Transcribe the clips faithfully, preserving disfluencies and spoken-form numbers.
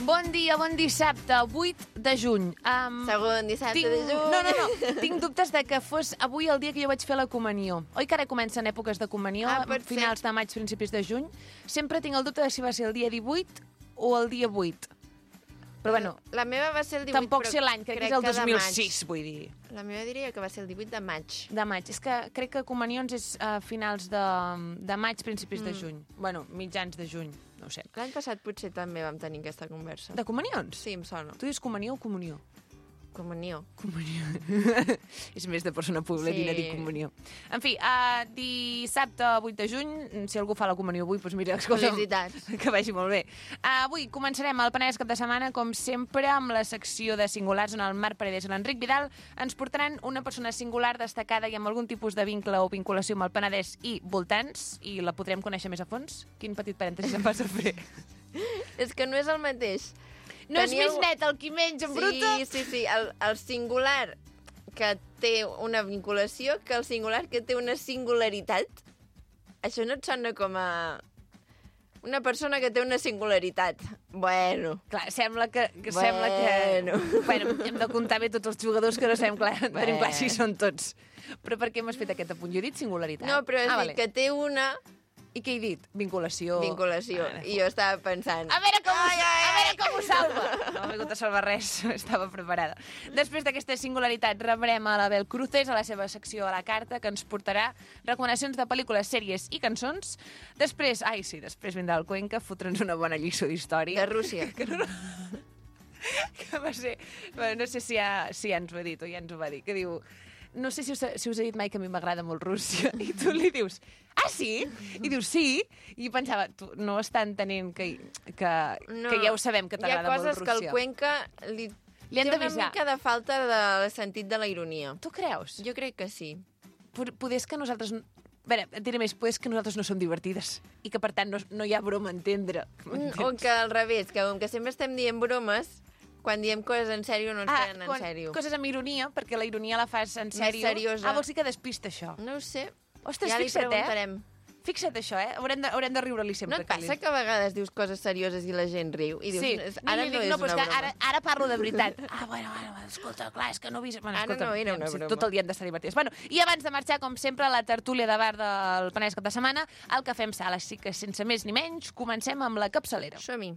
Bon dia, bon dissabte, vuit de juny. Um, Segon dissabte tinc... de juny. No, no, no. Tinc dubtes de que fos avui el dia que jo vaig fer la comunió. Oi que ara comencen èpoques de comunió, Ah, pot finals ser. de maig, principis de juny? Sempre tinc el dubte de si va ser el dia divuit o el dia vuit. Però bueno, La meva va ser el divuit, tampoc però sé l'any, crec que és el de dos mil maig. sis, vull dir. La meva diria que va ser el divuit de maig. De maig. És que crec que comunions és a finals de, de maig, principis Mm. de juny. Bueno, mitjans de juny, no ho sé. L'any passat potser també vam tenir aquesta conversa. De comunions? Sí, em sona. Tu dius comunió o comunió? Comunió. Comunió. És més de persona poblerina Sí. dir comunió. En fi, uh, dissabte vuit de juny, si algú fa la comunió avui, doncs mira, escolta'm, Felicitats. que vagi molt bé. Uh, avui començarem el Penedès cap de setmana, com sempre, amb la secció de singulars on el Marc Paredes i l'Enric Vidal ens portaran una persona singular destacada i amb algun tipus de vincle o vinculació amb el Penedès i voltants, i la podrem conèixer més a fons? Quin petit parèntesi em vas a fer? És que no és el mateix. No és Tenia més un- net el qui menja en Sí, bruta? sí, sí. El, el singular que té una vinculació que el singular que té una singularitat. Això no et sona com a... Una persona que té una singularitat. Bueno. Clar, sembla que, que Bueno. sembla que... Bueno, hem de comptar bé tots els jugadors que no sabem clar, Bueno. tenim clar si són tots. Però per què m'has fet aquest apunt? Jo he dit singularitat. No, però has ah, dit que té una I què he dit? Vinculació. vinculació. Ah, I jo estava pensant... A veure com, Ai, ho, ai, a veure ai. com ho salva. No m'ha vingut a salvar res, estava preparada. Després d'aquesta singularitat rebrem a l'Abel Cruces a la seva secció a la carta, que ens portarà recomanacions de pel·lícules, sèries i cançons. Després, ai sí, després vindrà el Cuenca a fotre'ns una bona lliçó d'història. De Rússia. Que no, que va ser... Bueno, no sé si ja, si ja ens ho ha dit o ja ens ho va dir, que diu... No sé si us, si us he dit mai que a mi m'agrada molt Rússia. I tu li dius, ah, sí? I dius, sí. I pensava, tu no està entenent que, que, No. que ja ho sabem, que t'agrada molt Hi ha coses Rússia. que el Cuenca li, Li han té una d'avisar. mica de falta de sentit de la ironia. Tu creus? Jo crec que sí. Pod- Poder és que nosaltres... A veure, et diré més, poder és que nosaltres no som divertides i que, per tant, no, no hi ha broma a entendre. Mm, O que al revés, que com que sempre estem dient bromes, quan diem coses en sèrio no ens Ah, prenen en quan- sèrio. coses amb ironia, perquè la ironia la fas en Més sèrio. seriosa. Ah, vols dir que despista això? No ho sé. Ostres, ja li fixa't, preguntarem. eh? Fixa't això, eh? Haurem de, haurem de riure-li No sempre. et passa que a vegades dius coses serioses i la gent riu? I dius, Sí, "És- no, ara li no, dic, és no, però una és que broma. ara, ara parlo de veritat. Ah, bueno, bueno, escolta, clar, és que no he vist... Bueno, Ara escolta, no era una sí, broma. tot el dia hem d'estar divertits. Bueno, i abans de marxar, com sempre, a la tertúlia de bar del Penedès cap de setmana, el que fem sala. Així que, sense més ni menys, comencem amb la capçalera. Som-hi.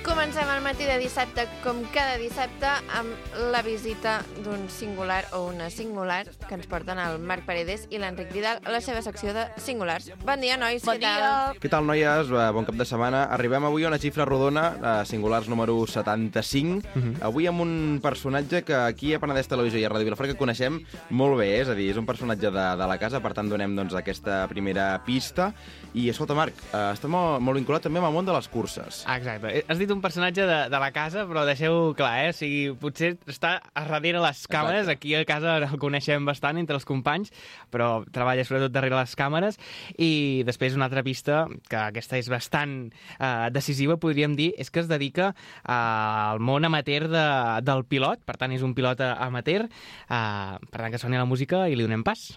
Comencem el matí de dissabte, com cada dissabte, amb la visita d'un singular o una singular que ens porten el Marc Paredes i l'Enric Vidal a la seva secció de singulars. Bon dia, nois. Bon què tal? dia! Què tal, noies? Eh, Bon cap de setmana. Arribem avui a una xifra rodona, a singulars número setanta-cinc. Avui amb un personatge que aquí a Penedès Televisió i a Ràdio Vilafranca coneixem molt bé, és a dir, és un personatge de, de la casa, per tant donem doncs, aquesta primera pista. I escolta, Marc, eh, està molt, molt vinculat també amb el món de les curses. Ah, exacte. Has dit un personatge de, de la casa, però deixeu clar, eh? O sigui, potser està a darrere les càmeres. Exacte. Aquí a casa el coneixem bastant entre els companys, però treballa sobretot darrere les càmeres. I després una altra pista, que aquesta és bastant eh, decisiva, podríem dir, és que es dedica eh, al món amateur de, del pilot. Per tant, és un pilot amateur. Eh, per tant, que soni la música i li donem pas.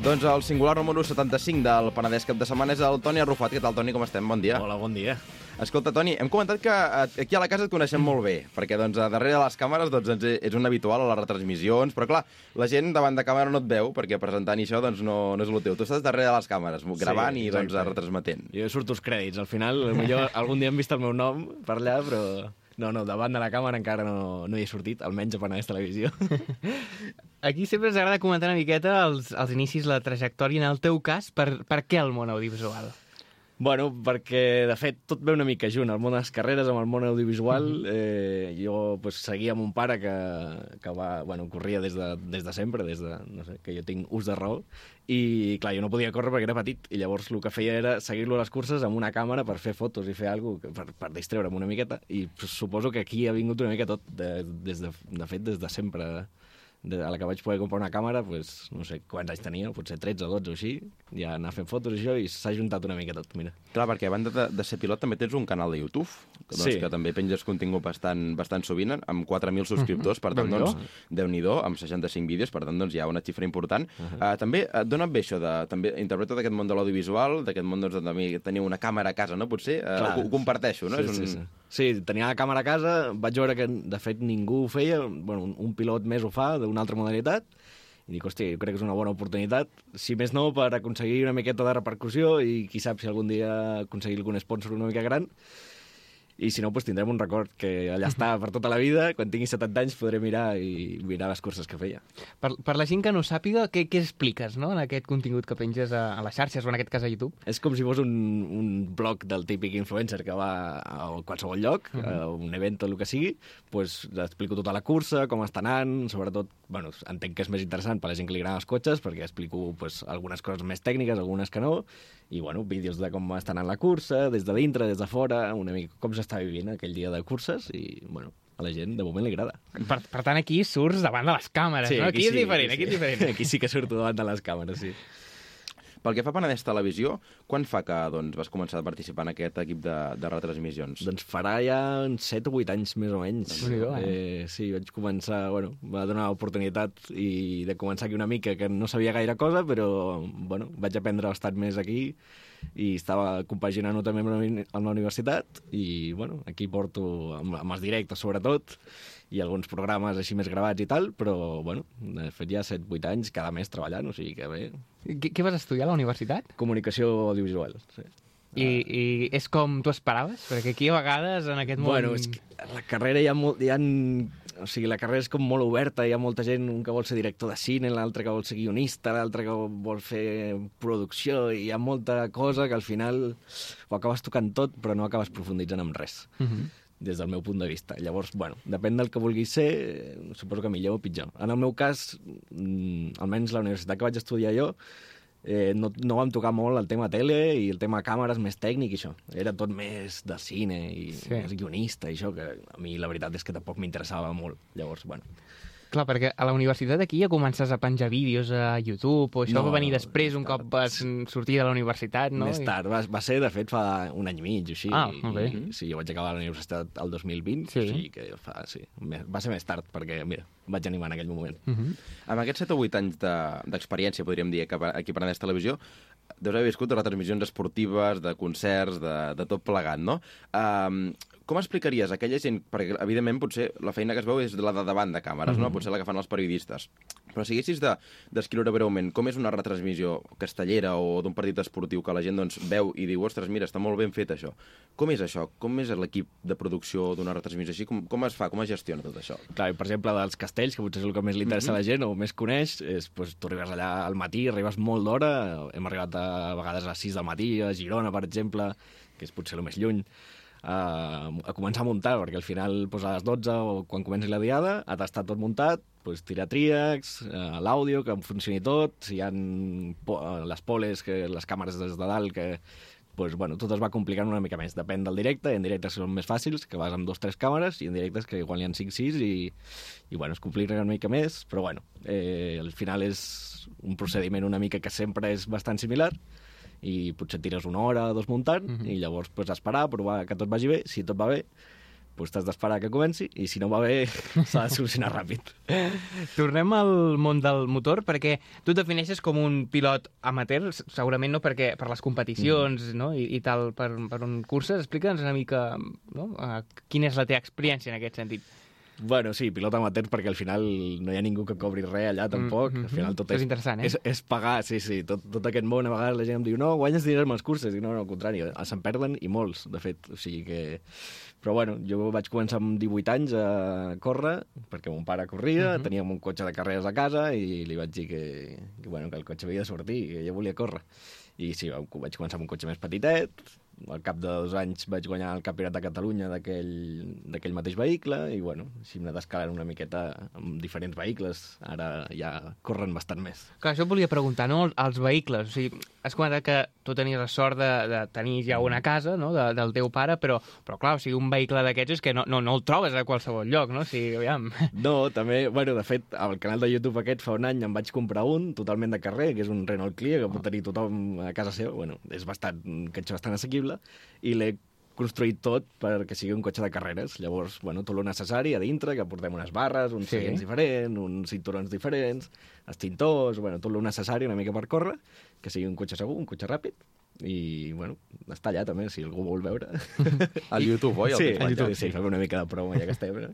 Doncs el singular número setanta-cinc del Penedès cap de setmana és el Toni Arrufat. Què tal, Toni? Com estem? Bon dia. Hola, bon dia. Escolta, Toni, hem comentat que eh, aquí a la casa et coneixem molt bé, perquè doncs, a darrere de les càmeres doncs, ens ets un habitual a les retransmissions, però clar, la gent davant de càmera no et veu, perquè presentant això doncs, no, no és el teu. Tu estàs darrere de les càmeres, gravant Sí, i doncs, exacte. retransmetent. Jo surto als crèdits, al final, potser algun dia hem vist el meu nom per allà, però... No, no, davant de la càmera encara no, no hi he sortit, almenys a Penedès Televisió. Aquí sempre ens agrada comentar una miqueta els, els inicis, la trajectòria. En el teu cas, per, per què el món audiovisual? Bueno, perquè, de fet, tot ve una mica junt. El món de les carreres amb el món audiovisual. Mm -hmm. eh, jo pues, seguia amb un pare que, que va, bueno, corria des de, des de sempre, des de, no sé, que jo tinc ús de raó, i, clar, jo no podia córrer perquè era petit, i llavors el que feia era seguir-lo a les curses amb una càmera per fer fotos i fer alguna cosa, per, per distreure'm una miqueta, i pues, suposo que aquí ha vingut una mica tot, de, des de, de fet, des de sempre. De, a la que vaig poder comprar una càmera, pues, no sé quants anys tenia, potser tretze o dotze o així, ja anar fent fotos i això, i s'ha juntat una mica tot, mira. Clar, perquè a banda de, de ser pilot també tens un canal de YouTube, que, doncs, sí. que també penges contingut bastant, bastant sovint, amb quatre mil subscriptors, per tant, doncs, Déu-n'hi-do, amb seixanta-cinc vídeos, per tant, doncs, hi ha una xifra important. Uh -huh. uh, també et dona bé això, de, també interpreta d'aquest món de l'audiovisual, d'aquest món doncs, de tenir una càmera a casa, no? Potser uh, ho, ho comparteixo, no? Sí, És un... sí, sí. Sí, tenia la càmera a casa, vaig veure que, de fet, ningú ho feia, bueno, un, un pilot més ho fa, d'una altra modalitat, i dic, hòstia, jo crec que és una bona oportunitat, si més no, per aconseguir una miqueta de repercussió i qui sap si algun dia aconseguir algun sponsor una mica gran. I si no, doncs tindrem un record que allà està per tota la vida. Quan tingui setanta anys podré mirar i mirar les curses que feia. Per, per la gent que no sàpiga, què, què expliques, no?, en aquest contingut que penges a, a les xarxes o en aquest cas a YouTube? És com si fos un, un blog del típic influencer que va a qualsevol lloc, uh -huh. a un event o el que sigui, doncs explico tota la cursa, com està anant, sobretot, bueno, entenc que és més interessant per a la gent que li agraden els cotxes, perquè explico pues, algunes coses més tècniques, algunes que no, i bueno, vídeos de com està anant la cursa, des de dintre, des de fora, una mica com s'està vivint aquell dia de curses, i bueno, a la gent de moment li agrada. Per, per tant, aquí surts davant de les càmeres, sí, no? Aquí, aquí sí, és diferent, aquí, aquí sí. és diferent. Aquí sí que surto davant de les càmeres, sí. Pel que fa a Penedès Televisió, quan fa que doncs, vas començar a participar en aquest equip de, de retransmissions? Doncs farà ja uns set o vuit anys, més o menys. Déu-n'hi-do, eh? eh? Sí, vaig començar, bueno, va donar l'oportunitat i de començar aquí una mica, que no sabia gaire cosa, però, bueno, vaig aprendre bastant més aquí i estava compaginant-ho també amb la, amb la universitat i, bueno, aquí porto amb, amb els directes, sobretot, i alguns programes així més gravats i tal, però, bueno, he fet ja set vuit anys cada mes treballant, o sigui que bé. Què, què vas estudiar a la universitat? Comunicació audiovisual, sí. I, I és com tu esperaves? Perquè aquí a vegades en aquest món... Bueno, és que la carrera hi ha, molt, hi ha... O sigui, la carrera és com molt oberta, hi ha molta gent, un que vol ser director de cine, l'altre que vol ser guionista, l'altre que vol fer producció, i hi ha molta cosa que al final ho acabes tocant tot, però no acabes profunditzant en res. Uh -huh. Des del meu punt de vista. Llavors, bueno, depèn del que vulguis ser, suposo que millor o pitjor. En el meu cas, almenys la universitat que vaig estudiar jo, eh, no, no vam tocar molt el tema tele i el tema càmeres més tècnic i això. Era tot més de cine i sí. més guionista i això, que a mi la veritat és que tampoc m'interessava molt. Llavors, bueno... Clar, perquè a la universitat aquí ja comences a penjar vídeos a YouTube, o això no, va venir després, un cop vas sortir de la universitat, no? Més tard, va, va ser, de fet, fa un any i mig, o així. Ah, molt bé. I, sí, jo vaig acabar la universitat el dos mil vint, sí. O sigui que fa, sí, va ser més tard, perquè, mira, vaig animar en aquell moment. Uh -huh. Amb aquests set o vuit anys d'experiència, de, podríem dir, aquí a Penedès Televisió, deus haver viscut retransmissions esportives, de concerts, de, de tot plegat, no? Um, com explicaries a aquella gent, perquè evidentment potser la feina que es veu és la de davant de càmeres, mm-hmm. no? Potser la que fan els periodistes. Però si haguessis de descriure breument com és una retransmissió castellera o d'un partit esportiu que la gent doncs, veu i diu, ostres, mira, està molt ben fet això. Com és això? Com és l'equip de producció d'una retransmissió així? Com, com es fa? Com es gestiona tot això? Clar, per exemple, dels castells, que potser és el que més li interessa mm-hmm. a la gent o més coneix, és, doncs, tu arribes allà al matí, arribes molt d'hora, hem arribat a, a vegades a les sis del matí, a Girona, per exemple, que és potser el més lluny, a, a començar a muntar, perquè al final pues, a les dotze o quan comenci la diada ha d'estar tot muntat, pues, tirar tríacs, eh, l'àudio, que funcioni tot, si hi ha po les poles, que les càmeres des de dalt, que pues, bueno, tot es va complicant una mica més. Depèn del directe, en directes són més fàcils, que vas amb dos o tres càmeres, i en directes que igual hi ha cinc o sis, i, i bueno, es complica una mica més, però bueno, eh, al final és un procediment una mica que sempre és bastant similar, i potser tires una hora o dos muntant, uh-huh. i llavors pues, esperar, provar que tot vagi bé. Si tot va bé, pues, t'has d'esperar que comenci, i si no va bé, s'ha de solucionar ràpid. Tornem al món del motor, perquè tu et defineixes com un pilot amateur, segurament no perquè per les competicions uh-huh. no? I, i tal, per, per un curses. Explica'ns una mica no? uh, quina és la teva experiència en aquest sentit. Bueno, sí, pilot amateur, perquè al final no hi ha ningú que cobri res allà, tampoc. Mm-hmm. Al final tot és, és, interessant, eh? és, és pagar, sí, sí. Tot, tot aquest món, a vegades la gent em diu no, guanyes diners amb els curses. I no, no, al contrari, se'n perden i molts, de fet. O sigui que... Però bueno, jo vaig començar amb divuit anys a córrer, perquè mon pare corria, mm-hmm. teníem un cotxe de carreres a casa i li vaig dir que, que, bueno, que el cotxe havia de sortir, que jo volia córrer. i sí, vaig començar amb un cotxe més petitet, al cap de dos anys vaig guanyar el Campionat de Catalunya d'aquell mateix vehicle i, bueno, així m'he d'escalar una miqueta amb diferents vehicles. Ara ja corren bastant més. Clar, això et volia preguntar, no? Els vehicles. O sigui, has comentat que tu tenies la sort de, de tenir ja una casa, no?, de, del teu pare, però, però clar, o sigui, un vehicle d'aquests és que no, no, no el trobes a qualsevol lloc, no? O sigui, aviam. No, també, bueno, de fet, al canal de YouTube aquest fa un any em vaig comprar un totalment de carrer, que és un Renault Clio, que pot tenir tothom a casa seva. Bueno, és bastant, un cotxe bastant assequible, i l'he construït tot perquè sigui un cotxe de carreres. Llavors, bueno, tot el necessari a dintre, que portem unes barres, uns sí. seients diferents, uns cinturons diferents, extintors, bueno, tot el necessari una mica per córrer, que sigui un cotxe segur, un cotxe ràpid, i, bueno, està allà també, si algú vol veure. Al YouTube, oi? Sí, al YouTube, sí, fem una mica de promo, ja que estem. No?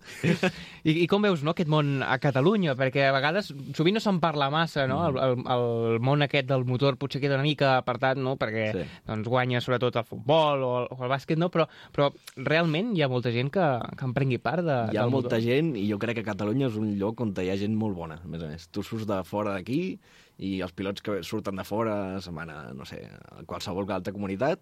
I, I com veus, no, aquest món a Catalunya? Perquè a vegades, sovint no se'n parla massa, no? El, el, el món aquest del motor potser queda una mica apartat, no? Perquè Sí. doncs, guanya sobretot el futbol o el, o el bàsquet, no? Però, però realment hi ha molta gent que, que en prengui part de, Hi ha del molta motor. gent, i jo crec que Catalunya és un lloc on hi ha gent molt bona, a més a més. Tu surts de fora d'aquí, i els pilots que surten de fora se'n van a, no sé, a qualsevol altra comunitat,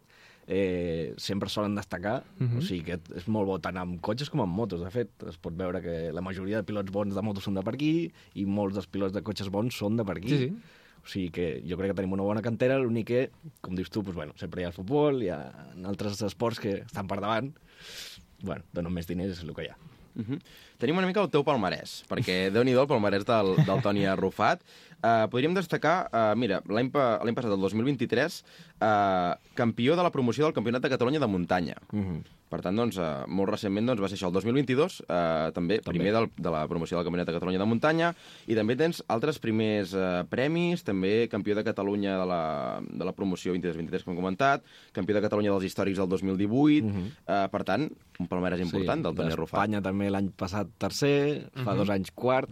eh, sempre solen destacar. Mhm. O sigui que és molt bo tant amb cotxes com amb motos. De fet, es pot veure que la majoria de pilots bons de motos són de per aquí, i molts dels pilots de cotxes bons són de per aquí. Sí, sí. O sigui que jo crec que tenim una bona cantera, l'únic que, com dius tu, doncs, bueno, sempre hi ha el futbol, hi ha altres esports que estan per davant. Bueno, donen més diners, és el que hi ha. Uh -huh. Tenim una mica el teu palmarès, perquè déu-n'hi-do el palmarès del, del Toni Arrufat. Uh, podríem destacar, uh, mira, l'any pa, l'any passat, el dos mil vint-i-tres, uh, campió de la promoció del Campionat de Catalunya de muntanya. Uh -huh. Per tant, doncs, uh, molt recentment doncs, va ser això, el dos mil vint-i-dos, uh, també, també primer del, de la promoció del Campionat de Catalunya de muntanya, i també tens altres primers uh, premis, també campió de Catalunya de la, de la promoció vint-i-dos vint-i-tres, com hem comentat, campió de Catalunya dels històrics del dos mil divuit, uh -huh. uh, per tant, un palmarès important sí, del Toni Arrufat. D'Espanya també l'any passat tercer, fa uh -huh. dos anys quart,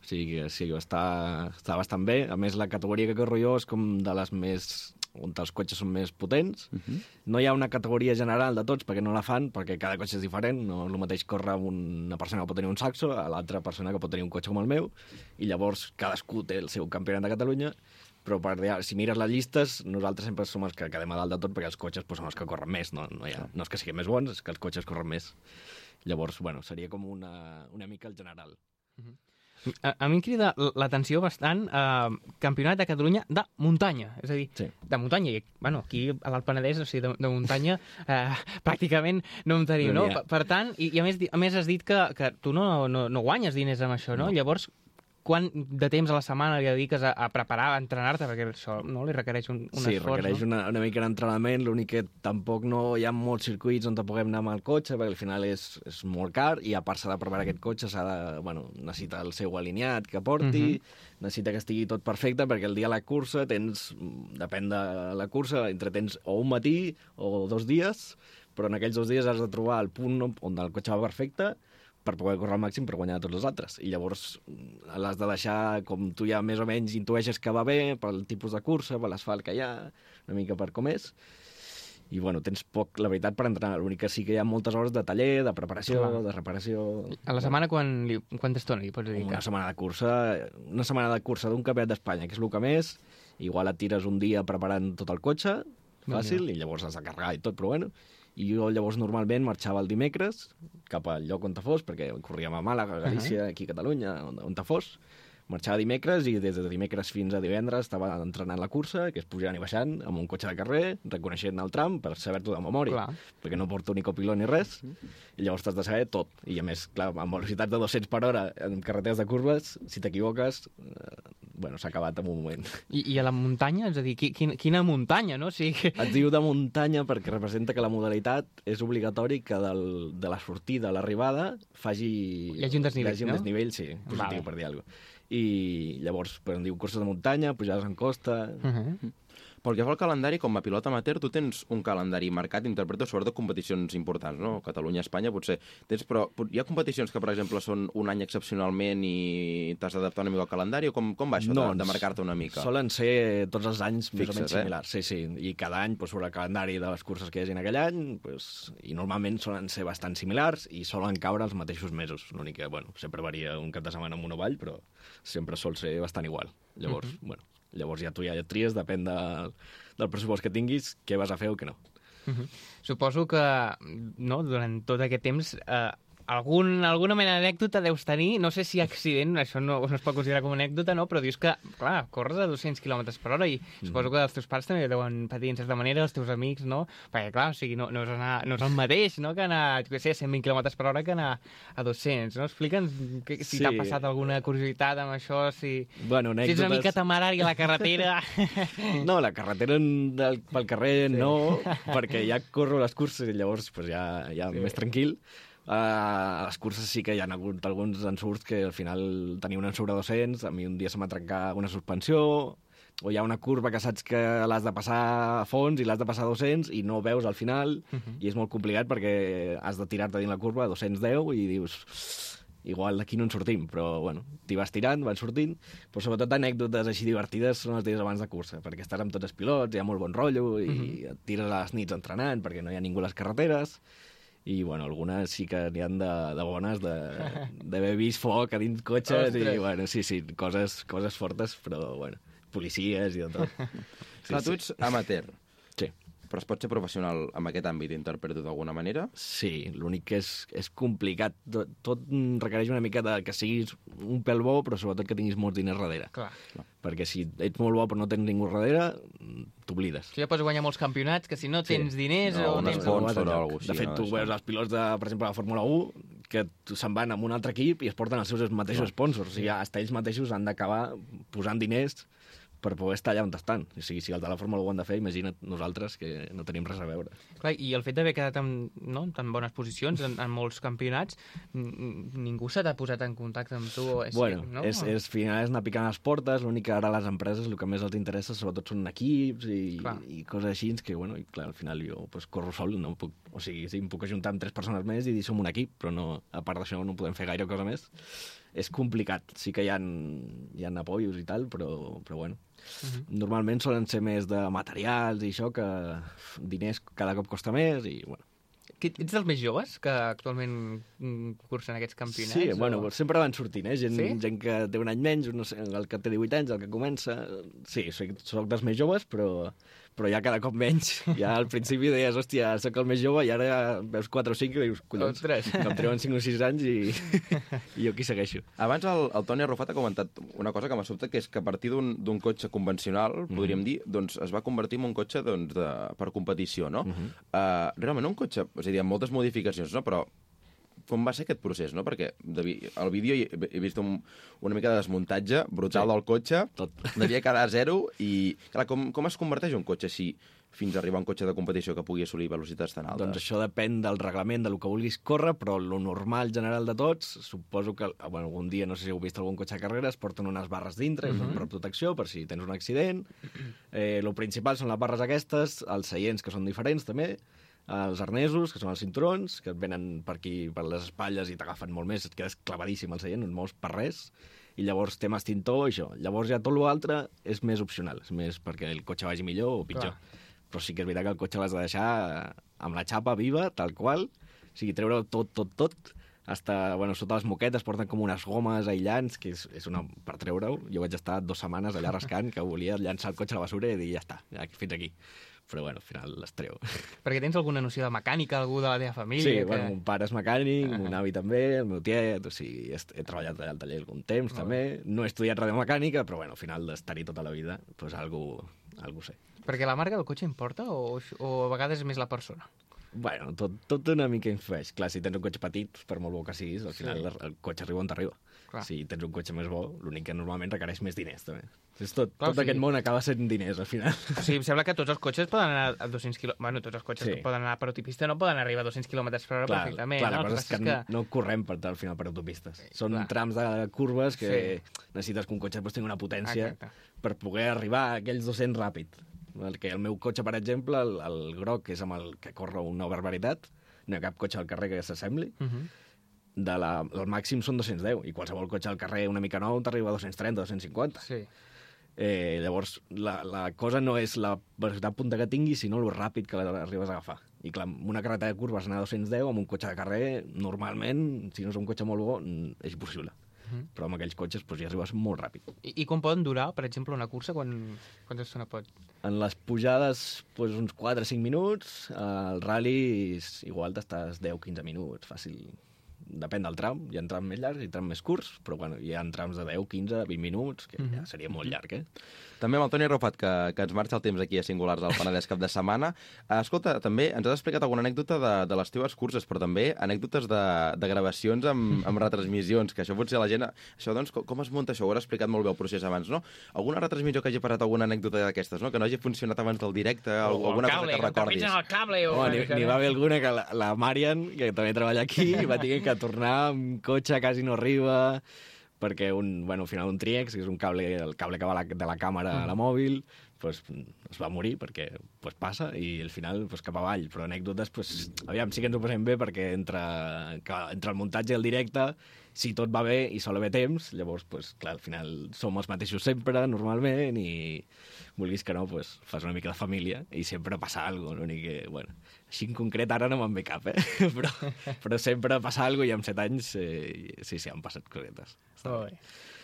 o sigui que sí, està, està bastant bé. A més, la categoria que corro jo és com de les més on els cotxes són més potents. Uh-huh. No hi ha una categoria general de tots, perquè no la fan, perquè cada cotxe és diferent. No és el mateix córrer amb una persona que pot tenir un Saxo a l'altra persona que pot tenir un cotxe com el meu, i llavors cadascú té el seu campionat de Catalunya, però per, si mires les llistes, nosaltres sempre som els que quedem a dalt de tot, perquè els cotxes pues, són els que corren més. No, no, hi ha, no és que siguin més bons, és que els cotxes corren més. Llavors, bueno, seria com una, una mica el general. Uh-huh. A, a mi em crida l'atenció bastant eh, Campionat de Catalunya de muntanya, és a dir, sí. de muntanya. I, bueno, aquí a l'Alt Penedès, o sigui, de, de muntanya, eh, pràcticament no en tenim, no? no? Per, per tant, i, i a, més, a més has dit que, que tu no, no, no guanyes diners amb això, no? no. Llavors, quant de temps a la setmana li dediques a, a preparar, a entrenar-te? Perquè això no li requereix un, un sí, esforç, requereix no? una, una mica d'entrenament, l'únic que tampoc no hi ha molts circuits on te puguem anar amb el cotxe, perquè al final és, és molt car, i a part s'ha de preparar aquest cotxe, s'ha de, bueno, necessita el seu alineat que porti, uh -huh. necessita que estigui tot perfecte, perquè el dia de la cursa tens, depèn de la cursa, entre tens o un matí o dos dies, però en aquells dos dies has de trobar el punt on el cotxe va perfecte, per poder córrer al màxim per guanyar tots els altres. I llavors l'has de deixar, com tu ja més o menys intueixes que va bé, pel tipus de cursa, per l'asfalt que hi ha, una mica per com és. I, bueno, tens poc, la veritat, per entrenar. L'únic que sí que hi ha moltes hores de taller, de preparació, Clar. de reparació... A la setmana, quan li, quanta estona li pots dedicar? Una setmana de cursa, una setmana de cursa d'un campionat d'Espanya, que és el que més, igual et tires un dia preparant tot el cotxe, fàcil, i llavors has de carregar i tot, però bueno... I jo llavors normalment marxava el dimecres cap al lloc on te fos, perquè corríem a Màlaga, a Galícia, aquí a Catalunya, on, on te fos. Marxava dimecres i des de dimecres fins a divendres estava entrenant la cursa, que és pujant i baixant, amb un cotxe de carrer, reconeixent el tram per saber-t'ho de memòria, Clar. perquè no porto ni copilot ni res, i llavors t'has de saber tot. I a més, clar, amb velocitats de dos-cents per hora en carreteres de curves, si t'equivoques, eh, bueno, s'ha acabat en un moment. I, I a la muntanya? És a dir, quina, quina muntanya, no? O sigui... Es diu de muntanya perquè representa que la modalitat és obligatori que del, de la sortida a l'arribada faci... Hi hagi un desnivell, hi hagi un no? desnivell, sí, positiu, Vale. per dir alguna cosa. I llavors, però en diu curses de muntanya, pujades en costa... Uh -huh. Pel que fa al calendari, com a pilot amateur, tu tens un calendari marcat, interpreto sobretot competicions importants, no? Catalunya, Espanya, potser. Tens, però hi ha competicions que, per exemple, són un any excepcionalment i t'has d'adaptar una mica al calendari, o com, com va això No, de, de marcar-te una mica? Solen ser tots els anys més Fixes, o menys eh? similars, sí, sí. I cada any, pues, sobre el calendari de les curses que hi hagi en aquell any, pues, i normalment solen ser bastant similars i solen caure els mateixos mesos. L'únic que, bueno, sempre varia un cap de setmana amb una vall, però sempre sol ser bastant igual. Llavors, uh -huh. bueno, llavors ja tu ja et tries, depèn de, del pressupost que tinguis, què vas a fer o què no. Uh -huh. Suposo que no, durant tot aquest temps eh, algun, alguna mena d'anècdota deus tenir, no sé si accident, això no, no es pot considerar com una anècdota, no? Però dius que, clar, corres a dos-cents quilòmetres per hora i mm. suposo que els teus pares també deuen patir en certa manera, els teus amics, no? Perquè, clar, o sigui, no, no, és, anar, no és el mateix, no?, que anar, jo què sé, a cent vint quilòmetres per hora que anar a dos-cents, no? Explica'ns que, si sí. t'ha passat alguna curiositat amb això, si, bueno, si ets una mica temerari a la carretera... No, la carretera del, pel carrer sí. no, perquè ja corro les curses i llavors pues, ja, ja sí. més tranquil. Uh, a les curses sí que hi ha hagut alguns ensurts que al final tenia un ensurt a dos-cents, a mi un dia se m'ha trencat una suspensió, o hi ha una curva que saps que l'has de passar a fons i l'has de passar a dos-cents i no ho veus al final, uh -huh. i és molt complicat perquè has de tirar-te dins la curva a dos-cents deu i dius... igual d'aquí no en sortim, però bueno, t'hi vas tirant, van sortint, però sobretot anècdotes així divertides són els dies abans de cursa, perquè estàs amb tots els pilots, hi ha molt bon rotllo, i uh -huh. et tires a les nits entrenant perquè no hi ha ningú a les carreteres, i bueno, algunes sí que n'hi ha de, de bones, d'haver vist foc a dins cotxes, Ostres. i bueno, sí, sí, coses, coses fortes, però bueno, policies i de tot. Sí, Clar, tu ets amateur. Sí. Però es pot ser professional en aquest àmbit, interpreto d'alguna manera? Sí, l'únic que és, és complicat. Tot, tot requereix una mica de que siguis un pèl bo, però sobretot que tinguis molts diners darrere. Clar. Perquè si ets molt bo però no tens ningú darrere, t'oblides. Si ja pots guanyar molts campionats, que si no tens sí. diners... No, o un tens... sponsor o alguna cosa De fet, no, tu això. veus els pilots, de, per exemple, de la Fórmula u, que se'n van amb un altre equip i es porten els seus mateixos no. sponsors. O sigui, hasta ells mateixos han d'acabar posant diners per poder estar allà on estan. O sigui, si el de la Fórmula u ho han de fer, imagina't nosaltres, que no tenim res a veure. Clar, i el fet d'haver quedat en, no, en tan bones posicions, en, en molts campionats, ningú se t'ha posat en contacte amb tu? És bueno, que, no? és, és, final és anar picant les portes, l'únic que ara a les empreses el que més els interessa sobretot són equips i, i coses així, que bueno, i clar, al final jo pues, corro sol, no puc, o sigui, sí, em puc ajuntar amb tres persones més i dir som un equip, però no, a part d'això no podem fer gaire cosa més. És complicat, sí que hi ha, hi ha apoyos i tal, però, però bueno. Uh-huh. Normalment solen ser més de materials i això, que diners cada cop costa més i bueno. Que ets dels més joves que actualment cursen aquests campionats? Sí, o... bueno, sempre van sortint, eh? Gent, sí? gent que té un any menys, no sé, el que té divuit anys, el que comença... Sí, soc, soc dels més joves, però, però ja cada cop menys. Ja al principi deies, hòstia, soc el més jove, i ara ja veus quatre o cinc i dius, collons, Ostres. que em treuen cinc o sis anys i, i jo aquí segueixo. Abans el, el Toni Arrufat ha comentat una cosa que m'ha sobtat, que és que a partir d'un cotxe convencional, mm. podríem dir, doncs es va convertir en un cotxe doncs, de, per competició, no? Mm -hmm. uh, realment un cotxe, és a dir, amb moltes modificacions, no? Però com va ser aquest procés, no? Perquè de, al vídeo he, he vist un, una mica de desmuntatge brutal sí. del cotxe, Tot. devia quedar a zero, i clar, com, com es converteix un cotxe així fins a arribar a un cotxe de competició que pugui assolir velocitats tan altes? Doncs això depèn del reglament, del que vulguis córrer, però lo normal general de tots, suposo que bueno, algun dia, no sé si heu vist algun cotxe de carreres, porten unes barres dintre, uh-huh. per protecció, per si tens un accident. Eh, lo principal són les barres aquestes, els seients, que són diferents també, els arnesos, que són els cinturons, que et venen per aquí, per les espatlles, i t'agafen molt més, et quedes clavadíssim al seient, no et mous per res, i llavors temes tintor, això. Llavors ja tot l'altre és més opcional, és més perquè el cotxe vagi millor o pitjor. Clar. Però sí que és veritat que el cotxe l'has de deixar amb la xapa viva, tal qual, o sigui, treure tot, tot, tot, hasta, bueno, sota les moquetes porten com unes gomes aïllants, que és, és una per treure-ho. Jo vaig estar dues setmanes allà rascant, que volia llançar el cotxe a la bessura i dir, ja està, ja, fins aquí. Però, bueno, al final les treu. Perquè tens alguna noció de mecànica, algú de la teva família? Sí, que... bueno, mon pare és mecànic, mon avi també, el meu tiet, o sigui, he, he treballat al taller algun temps, oh. també. No he estudiat radiomecànica, però, bueno, al final d'estar-hi tota la vida, doncs algú, algú sé. Perquè la marca del cotxe importa o, o a vegades és més la persona? Bueno, tot, tot una mica influeix. Clar, si tens un cotxe petit, per molt bo que siguis, al final sí. el, el cotxe arriba on t'arriba. Si tens un cotxe més bo, l'únic que normalment requereix més diners, també. És tot, Clar, tot sí. aquest món acaba sent diners, al final. O sigui, em sembla que tots els cotxes poden anar a dos-cents quilòmetres... Bueno, tots els cotxes sí. que poden anar per autopista no poden arribar a dos-cents quilòmetres per hora clar, perfectament. Clar, no? la cosa és que, que no correm per, al final per autopistes. Sí, Són clar. trams de curves que sí. necessites que un cotxe pues, tingui una potència Exacte. per poder arribar a aquells dos-cents ràpid. El, que el meu cotxe, per exemple, el, el groc, que és amb el que corre una barbaritat, no hi ha cap cotxe al carrer que s'assembli, uh -huh. de la, el màxim són dos-cents deu, i qualsevol cotxe al carrer una mica nou t'arriba a dos-cents trenta, dos-cents cinquanta. Sí. Eh, llavors, la, la cosa no és la velocitat punta que tinguis, sinó el ràpid que l'arribes a agafar. I clar, amb una carretera de curves anar a dos-cents deu, amb un cotxe de carrer, normalment, si no és un cotxe molt bo, és impossible. uh-huh. però amb aquells cotxes pues, ja arribes molt ràpid. I, I com poden durar, per exemple, una cursa? Quan, quanta estona pot? En les pujades, pues, uns quatre o cinc minuts, al rally igual t'estàs deu o quinze minuts, fàcil. Depèn del tram, hi ha trams més llargs i trams més curts, però bueno, hi ha trams de deu, quinze, vint minuts, que ja seria molt llarg, eh? També amb el Toni Arrufat, que, que ens marxa el temps aquí a Singulars al Penedès cap de setmana. Escolta, també ens has explicat alguna anècdota de, de les teves curses, però també anècdotes de, de gravacions amb, amb retransmissions, que això potser la gent... Això, doncs, com, com es munta això? Ho has explicat molt bé el procés abans, no? Alguna retransmissió que hagi parat alguna anècdota d'aquestes, no? Que no hagi funcionat abans del directe, o, o alguna cable, cosa que recordis. El cable, o... Oh, n'hi va haver alguna que la, la Marian, que també treballa aquí, va tenir que tornar amb cotxe, quasi no arriba, perquè un, bueno, al final un Triex, que és un cable, el cable que va la, de la càmera a la mòbil, pues, es va morir perquè pues, passa i al final pues, cap avall. Però anècdotes, pues, aviam, sí que ens ho passem bé perquè entre, que, entre el muntatge i el directe, si tot va bé i sol haver temps, llavors, pues, clar, al final som els mateixos sempre, normalment, i vulguis que no, pues, fas una mica de família i sempre passa alguna cosa. L'únic que, bueno, així en concret ara no me'n ve cap, eh? però, però sempre passa alguna cosa i amb set anys eh, sí, sí, han passat cosetes. Oh, bé.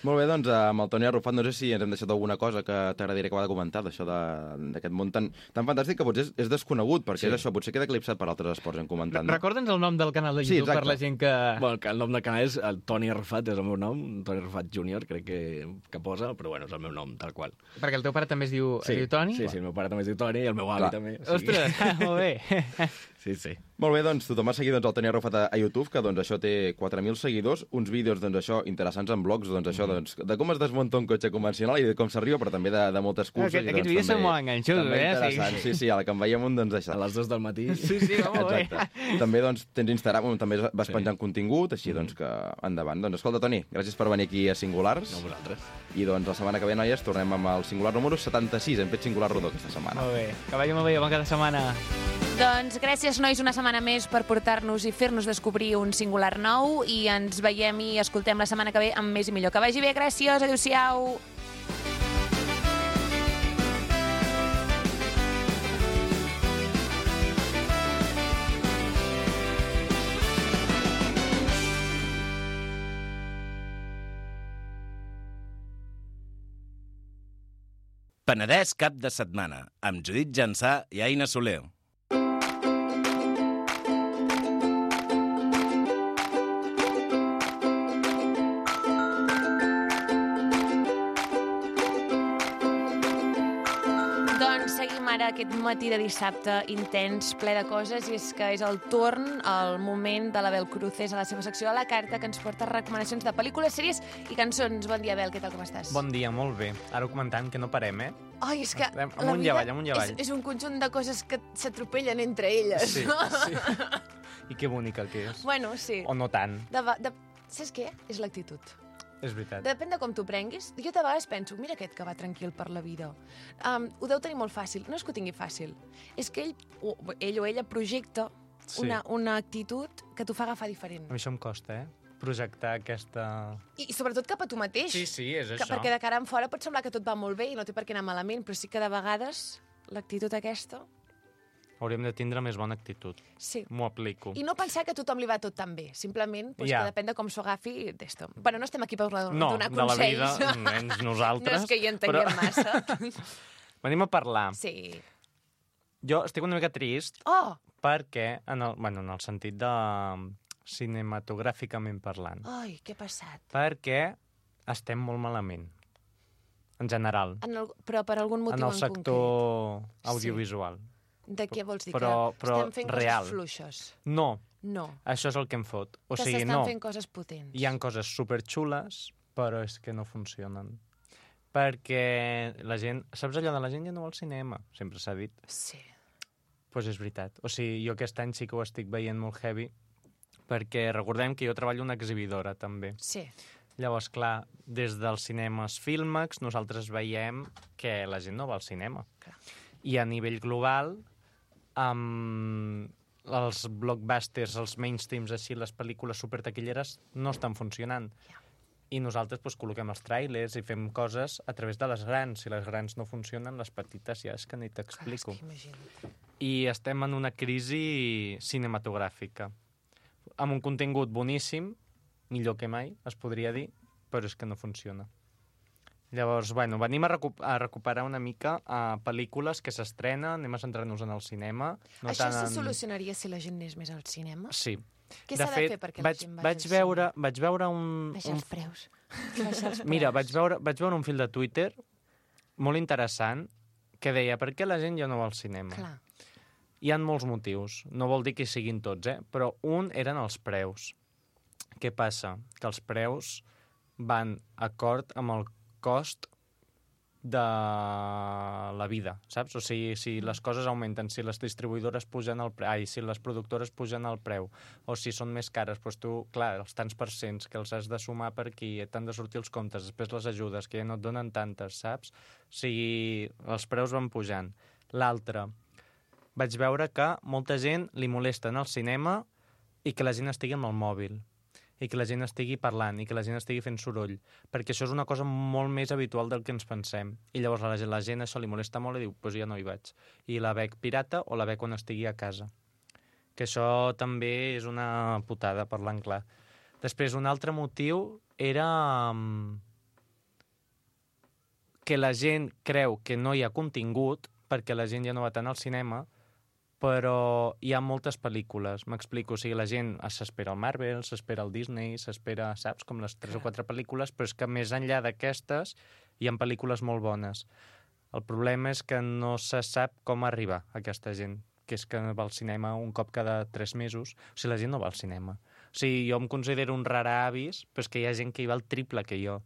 Molt bé, doncs, amb el Toni Arrufat, no sé si ens hem deixat alguna cosa que t'agradaria acabar de comentar, d'això d'aquest món tan, tan fantàstic que potser és, és desconegut, perquè sí. És això, potser queda eclipsat per altres esports en comentant. No? Recorda'ns el nom del canal de YouTube sí, per la gent que... Bueno, el nom del canal és el Toni Arrufat, és el meu nom, Toni Arrufat júnior, crec que, que posa, però bueno, és el meu nom, tal qual. Perquè el teu pare també es diu, sí, es diu Toni? Sí, sí, el meu pare també es diu Toni i el meu avi Clar. també. O sigui... Ostres, molt bé. Sí, sí. Molt bé, doncs tothom ha seguit doncs, el Toni Arrufat a, a YouTube, que doncs, això té quatre mil seguidors, uns vídeos doncs, això interessants en blogs, doncs, això, doncs, de com es desmunta un cotxe convencional i de com s'arriba, però també de, de moltes curses. Aquest, i, doncs, aquests vídeos també, són molt enganxosos, també eh? interessants. Sí, sí, a la que en veiem un, doncs, això. A les dues del matí. Sí, sí, va molt bé. Exacte. També doncs, tens Instagram, on també vas Sí. penjant contingut, així doncs que endavant. Doncs escolta, Toni, gràcies per venir aquí a Singulars. No, vosaltres. I doncs la setmana que ve, noies, tornem amb el Singular número setanta-sis. Hem fet Singular rodó aquesta setmana. Molt bé. Que vagi molt bé, bon cada setmana. Doncs gràcies, nois, una setmana més per portar-nos i fer-nos descobrir un singular nou i ens veiem i escoltem la setmana que ve amb més i millor. Que vagi bé, gràcies, adéu-siau. Penedès cap de setmana, amb Judit Jansà i Aina Soler. Doncs seguim ara aquest matí de dissabte intens, ple de coses, i és que és el torn, el moment de la Bel Cruces a la seva secció a la carta, que ens porta recomanacions de pel·lícules, sèries i cançons. Bon dia, Bel, què tal, com estàs? Bon dia, molt bé. Ara ho comentant que no parem, eh? Ai, és que Estem la amunt i vida avall, amunt i avall. és, és un conjunt de coses que s'atropellen entre elles. Sí, sí. I que bonica que és. Bueno, sí. O no tant, De, de, saps què? És l'actitud. és veritat. Depèn de com t'ho prenguis. Jo de vegades penso, mira aquest que va tranquil per la vida. Um, ho deu tenir molt fàcil. No és que ho tingui fàcil. És que ell o, ell o ella projecta Sí. una, una actitud que t'ho fa agafar diferent. A mi això em costa, eh? Projectar aquesta... I, I sobretot cap a tu mateix. Sí, sí, és que, això. perquè de cara en fora pot semblar que tot va molt bé i no té per què anar malament, però sí que de vegades l'actitud aquesta... Hauríem de tindre més bona actitud. Sí. M'ho aplico. I no pensar que a tothom li va tot tan bé. Simplement, doncs, Ja. que depèn de com s'ho agafi d'esto. Bueno, no estem aquí per donar No, donar de la consells. vida, menys nosaltres. No és que hi entenguem però... massa. Venim a parlar. Sí. Jo estic una mica trist Oh! perquè, en el, bueno, en el sentit de cinematogràficament parlant, Ai, què ha passat? perquè estem molt malament, en general, En el, però per algun motiu en el en sector concret. audiovisual. De què vols dir? Però- que però estem fent real. coses fluixes? No, No. això és el que em fot. O que sigui, s'estan no, fent coses potents. hi ha coses superxules, però és que no funcionen. Perquè la gent... Saps allò de la gent ja no vol cinema? Sempre s'ha dit. Sí. Doncs pues és veritat. O sigui, jo aquest any sí que ho estic veient molt heavy, perquè recordem que jo treballo en una exhibidora, també. Sí. Llavors, clar, des dels cinemes Filmax nosaltres veiem que la gent no va al cinema. Clar. I a nivell global, amb els blockbusters, els mainstreams així, les pel·lícules supertaquilleres, no estan funcionant. Ja. I nosaltres doncs, col·loquem els tràilers i fem coses a través de les grans. Si les grans no funcionen, les petites ja és que ni t'explico. Clar, és que imagina't. I estem en una crisi cinematogràfica, amb un contingut boníssim, millor que mai, es podria dir, però és que no funciona. Llavors, bueno, venim a, recu a recuperar una mica uh, pel·lícules que s'estrenen, anem a centrar-nos en el cinema. No Això tant se en... solucionaria si la gent anés més al cinema? Sí. Què De s'ha de fet, fer perquè vaig, la gent vagi vaig al veure, cinema? vaig veure un... Baixar un... els preus. Baixar els Mira, preus. vaig veure, vaig veure un fil de Twitter molt interessant que deia per què la gent ja no va al cinema. Clar. Hi ha molts motius, no vol dir que siguin tots, eh? Però un eren els preus. Què passa? Que els preus van acord amb el cost de la vida, saps? O sigui, si les coses augmenten, si les distribuïdores pugen el preu, ai, si les productores pugen el preu, o si són més cares, doncs tu, clar, els tants percents que els has de sumar per aquí, t'han de sortir els comptes, després les ajudes, que ja no et donen tantes, saps? O sigui, els preus van pujant. L'altre, vaig veure que molta gent li molesta anar al cinema i que la gent estigui amb el mòbil, i que la gent estigui parlant, i que la gent estigui fent soroll, perquè això és una cosa molt més habitual del que ens pensem. I llavors a la gent, la gent això li molesta molt i diu, doncs pues ja no hi vaig. I la veig pirata o la veig quan estigui a casa. Que això també és una putada, parlant clar. Després, un altre motiu era um, que la gent creu que no hi ha contingut perquè la gent ja no va tant al cinema, però hi ha moltes pel·lícules, m'explico, o sigui, la gent s'espera el Marvel, s'espera el Disney, s'espera, saps, com les tres o quatre pel·lícules, però és que més enllà d'aquestes hi ha pel·lícules molt bones. El problema és que no se sap com arribar a aquesta gent, que és que va al cinema un cop cada tres mesos, o sigui, la gent no va al cinema. O sigui, jo em considero un rara avis, però és que hi ha gent que hi va el triple que jo,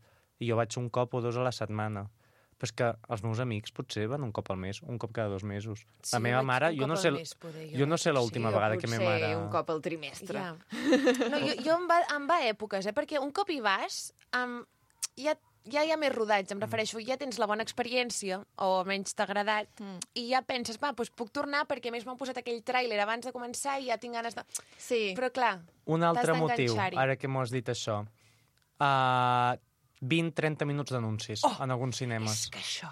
i jo vaig un cop o dos a la setmana. Però és que els meus amics potser van un cop al mes, un cop cada dos mesos. Sí, la meva vaig mare, un jo cop no al sé, mes, poder, jo. jo no sé l'última Sí, vegada que potser meva mare... un cop al trimestre. Ja. No, jo, jo em, va, em va a èpoques, eh? Perquè un cop hi vas, um, ja, ja hi ha més rodats, em refereixo, ja tens la bona experiència, o almenys t'ha agradat, mm. i ja penses, va, doncs puc tornar perquè a més m'han posat aquell tràiler abans de començar i ja tinc ganes de... Sí. Però clar, Un altre t'has motiu, d'enganxar-hi. ara que m'ho has dit això, uh, vint a trenta minuts d'anuncis Oh, en alguns cinemes. És que això...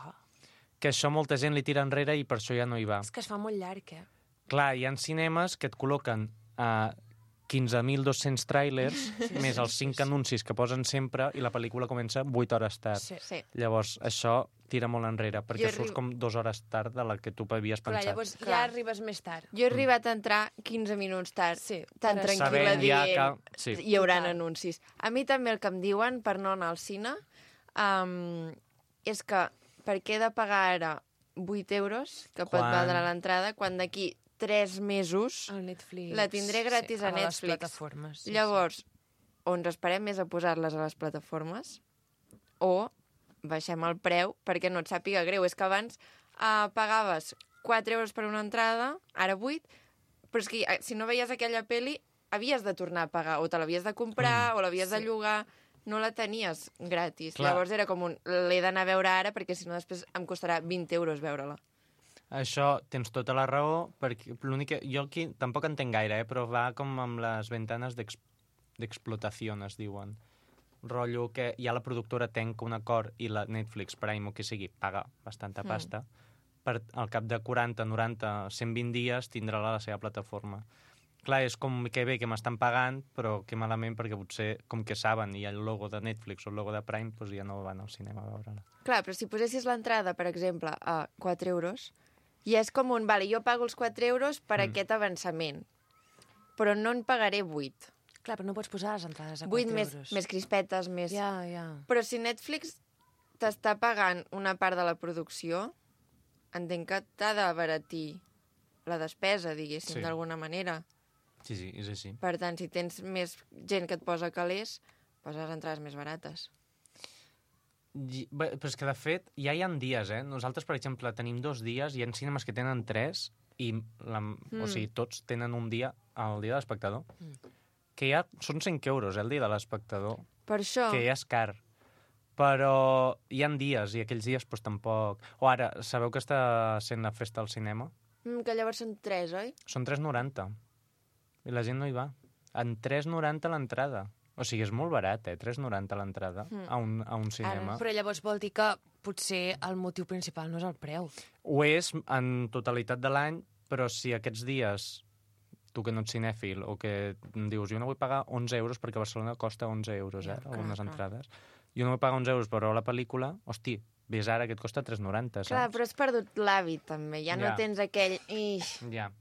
Que això molta gent li tira enrere i per això ja no hi va. És que es fa molt llarg, eh? Clar, hi ha cinemes que et col·loquen a quinze mil dos-cents tràilers, sí, més sí, els sí, cinc sí. anuncis que posen sempre i la pel·lícula comença vuit hores tard. Sí. Sí. Llavors, això tira molt enrere, perquè Jo surts arri- com dues hores tard de la que tu havies Clar, pensat. llavors Clar. ja arribes més tard. Jo he arribat a entrar quinze minuts tard, Sí, tan per tranquil·la Sabent ja dient, que- sí. hi haurà Total. anuncis. A mi també el que em diuen per no anar al cine um, és que per què he de pagar ara vuit euros, que pot Quan- valdre l'entrada, quan d'aquí tres mesos El Netflix... la tindré gratis a les Netflix. plataformes. Sí, Llavors, o ens esperem més a posar-les a les plataformes, o baixem el preu perquè no et sàpiga greu. És que abans uh, pagaves quatre euros per una entrada, ara vuit, però és que eh, si no veies aquella peli havies de tornar a pagar, o te l'havies de comprar, mm, o l'havies sí. de llogar, no la tenies gratis. Clar. Llavors era com un, l'he d'anar a veure ara perquè si no després em costarà vint euros veure-la. Això tens tota la raó, perquè l'únic que... Jo aquí tampoc entenc gaire, eh, però va com amb les ventanes d'ex- d'explotació, es diuen. Rotllo que ja la productora tenc un acord i la Netflix, Prime o que sigui, paga bastanta Mm. pasta, per al cap de quaranta, noranta, cent vint dies tindrà la seva plataforma. Clar, és com que bé que m'estan pagant, però que malament perquè potser, com que saben, hi ha el logo de Netflix o el logo de Prime, doncs ja no van al cinema a veure-la. Clar, però si posessis l'entrada, per exemple, a quatre euros, ja és com un, vale, jo pago els quatre euros per Mm. aquest avançament, però no en pagaré vuit. Clar, però no pots posar les entrades a Vuit quatre més, euros. més crispetes, més... Ja, ja. Però si Netflix t'està pagant una part de la producció, entenc que t'ha d'abaratir la despesa, diguéssim, Sí. d'alguna manera. Sí, sí, és així. Per tant, si tens més gent que et posa calés, posa les entrades més barates. I- bé, Però és que, de fet, ja hi ha dies, eh? Nosaltres, per exemple, tenim dos dies, hi ha cinemes que tenen tres, i la, mm. o sigui, tots tenen un dia, el dia de l'espectador, mm. que ja són cinc euros, eh, el dia de l'espectador, Per això... que ja és car. Però hi ha dies, i aquells dies doncs, tampoc... O ara, sabeu que està sent la festa al cinema? Mm, que llavors són tres, oi? Són tres noranta. I la gent no hi va. En tres noranta l'entrada. O sigui, és molt barat, eh? tres noranta l'entrada Mm. a, un, a un cinema. Però llavors vol dir que potser el motiu principal no és el preu. Ho és en totalitat de l'any, però si aquests dies, tu que no ets cinèfil, o que em dius, jo no vull pagar onze euros perquè a Barcelona costa onze euros, eh? Ja, clar, algunes clar. entrades. jo no vull pagar uns euros per veure la pel·lícula, hosti, ves ara que et costa tres noranta, saps? Clar, però has perdut l'hàbit, també. Ja no Ja. tens aquell... Ix. Ja.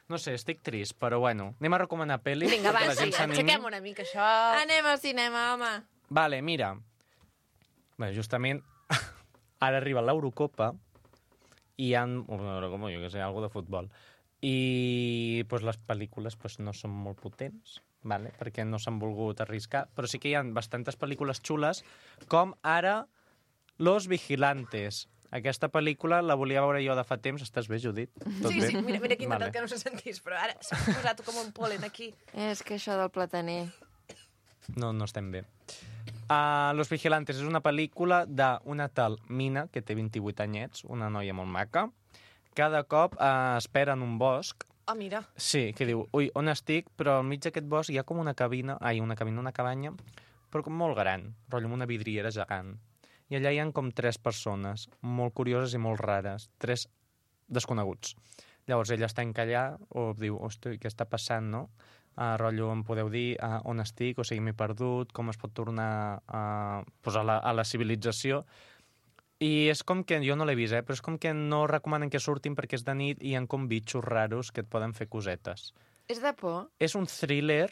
No sé, estic trist, però bueno. Anem a recomanar pel·lis Vinga, va, perquè la sí, gent s'animi. aixequem una mica això. Anem al cinema, home. Vale, mira. Bé, justament ara arriba l'Eurocopa i hi ha... Com jo que sé, algo de futbol. I pues, les pel·lícules pues, no són molt potents, vale? Perquè no s'han volgut arriscar, però sí que hi ha bastantes pel·lícules xules, com ara Los Vigilantes. Aquesta pel·lícula la volia veure jo de fa temps. Estàs bé, Judit? Tot Sí, bé? sí, mira, mira que he intentat Vale. que no se sentís, però ara s'ha posat com un polen aquí. És que això del plataner... No, no estem bé. Uh, Los Vigilantes és una pel·lícula d'una tal Mina, que té vint-i-vuit anyets, una noia molt maca. Cada cop uh, espera en un bosc. Oh, mira. Sí, que diu, ui, on estic? Però al mig d'aquest bosc hi ha com una cabina, ai, una cabina, una cabanya, però com molt gran, rotllo amb una vidriera gegant. I allà hi ha com tres persones, molt curioses i molt rares, tres desconeguts. Llavors ella està encallada, o diu, hosti, què està passant, no? Uh, rotllo, em podeu dir uh, on estic, o sigui, m'he perdut, com es pot tornar uh, pues a, la, a la civilització. I és com que, jo no l'he vist, eh, però és com que no recomanen que surtin perquè és de nit i hi ha com bitxos raros que et poden fer cosetes. És de por? És un thriller,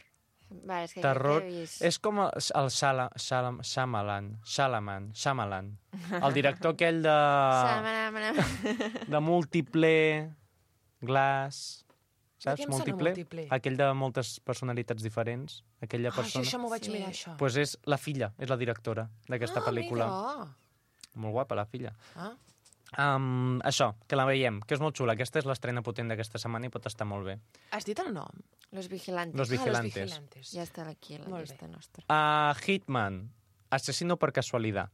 Va, és que terror, aquest he vist. és com el, el Sala, Salam, Shyamalan, Shalaman, Shyamalan, el director aquell de, Samana. de múltiple, Glass, saps? què em sona Múltiple, Múltiple? aquell de moltes personalitats diferents, aquella Ah, això, persona. això m'ho vaig Sí. mirar, això. Pues és la filla, és la directora d'aquesta ah, pel·lícula. Mira. Molt guapa, la filla. Ah. Um, això, que la veiem, que és molt xula. Aquesta és l'estrena potent d'aquesta setmana i pot estar molt bé. Has dit el nom? Los Vigilantes. Los Vigilantes. Ah, Los Vigilantes. Ja està aquí, a la Molt llista nostra. Uh, Hitman, asesino per casualitat.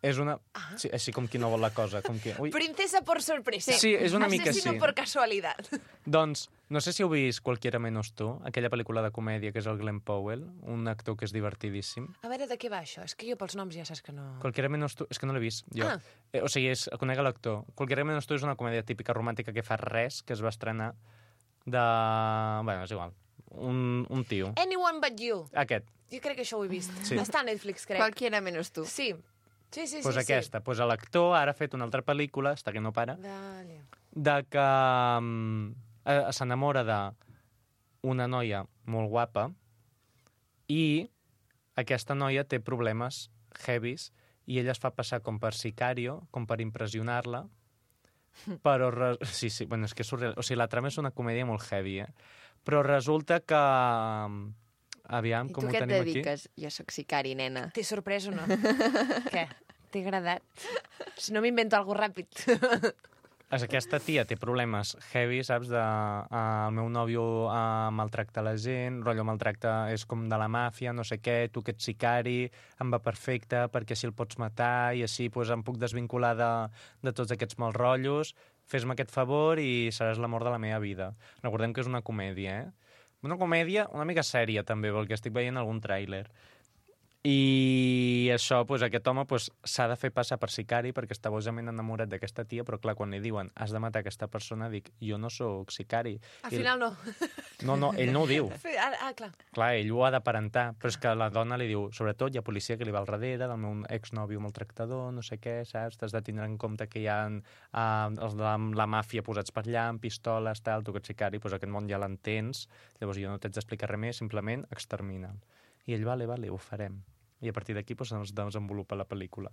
És una... Ah. Sí, així com qui no vol la cosa. Com qui... Ui. Princesa por sorpresa. Sí, és una mica Asesino sí. por casualidad. Doncs, no sé si heu vist Cualquiera menos tú, aquella pel·lícula de comèdia que és el Glenn Powell, un actor que és divertidíssim. A veure, de què va això? És que jo pels noms ja saps que no... Cualquiera menos tú... És que no l'he vist, jo. Ah. Eh, o sigui, és, conec l'actor. Cualquiera menos tú és una comèdia típica romàntica que fa res, que es va estrenar de... Bueno, és igual. Un, un tio. Anyone but you. Aquest. Jo crec que això ho he vist. Sí. Està a Netflix, crec. Qualquiera menos tu. Sí. Sí, sí, Pues sí. aquesta. Pues l'actor ara ha fet una altra pel·lícula, està que no para, Sí. Vale. de que um, eh, s'enamora d'una noia molt guapa i aquesta noia té problemes heavies i ella es fa passar com per sicario, com per impressionar-la, però... Re... Sí, sí, bueno, és que és surreal. O sigui, la trama és una comèdia molt heavy, eh? Però resulta que... um, Aviam, I com tu ho què et tenim aquí. dediques? Jo sóc sicari, nena. T'he sorprès o no? Què? T'he agradat? Si no m'invento alguna ràpid. És aquesta tia té problemes heavy, saps? De, uh, el meu nòvio uh, maltracta la gent, rotllo maltracta, és com de la màfia, no sé què, tu que ets sicari, em va perfecte, perquè així el pots matar i així pues, em puc desvincular de, de tots aquests mals rotllos, fes-me aquest favor i seràs l'amor de la meva vida. Recordem que és una comèdia, eh? Una comèdia una mica sèria, també, perquè estic veient algun tràiler. I això, pues, aquest home pues, s'ha de fer passar per sicari perquè està bojament enamorat d'aquesta tia, però clar, quan li diuen has de matar aquesta persona, dic, jo no sóc sicari. Al I- final no. No, no, ell no ho diu. Ah, ah, clar. Clar, ell ho ha d'aparentar, però és que la dona li diu, sobretot hi ha policia que li va al darrere, del meu exnòvio maltractador, no sé què, saps? T'has de tindre en compte que hi ha uh, els de la, la màfia posats per allà, amb pistoles, tal, tu que ets sicari, doncs aquest món ja l'entens, llavors jo no t'haig d'explicar res més, simplement extermina'l. I ell, vale, vale, ho farem. I a partir d'aquí doncs, es desenvolupa la pel·lícula.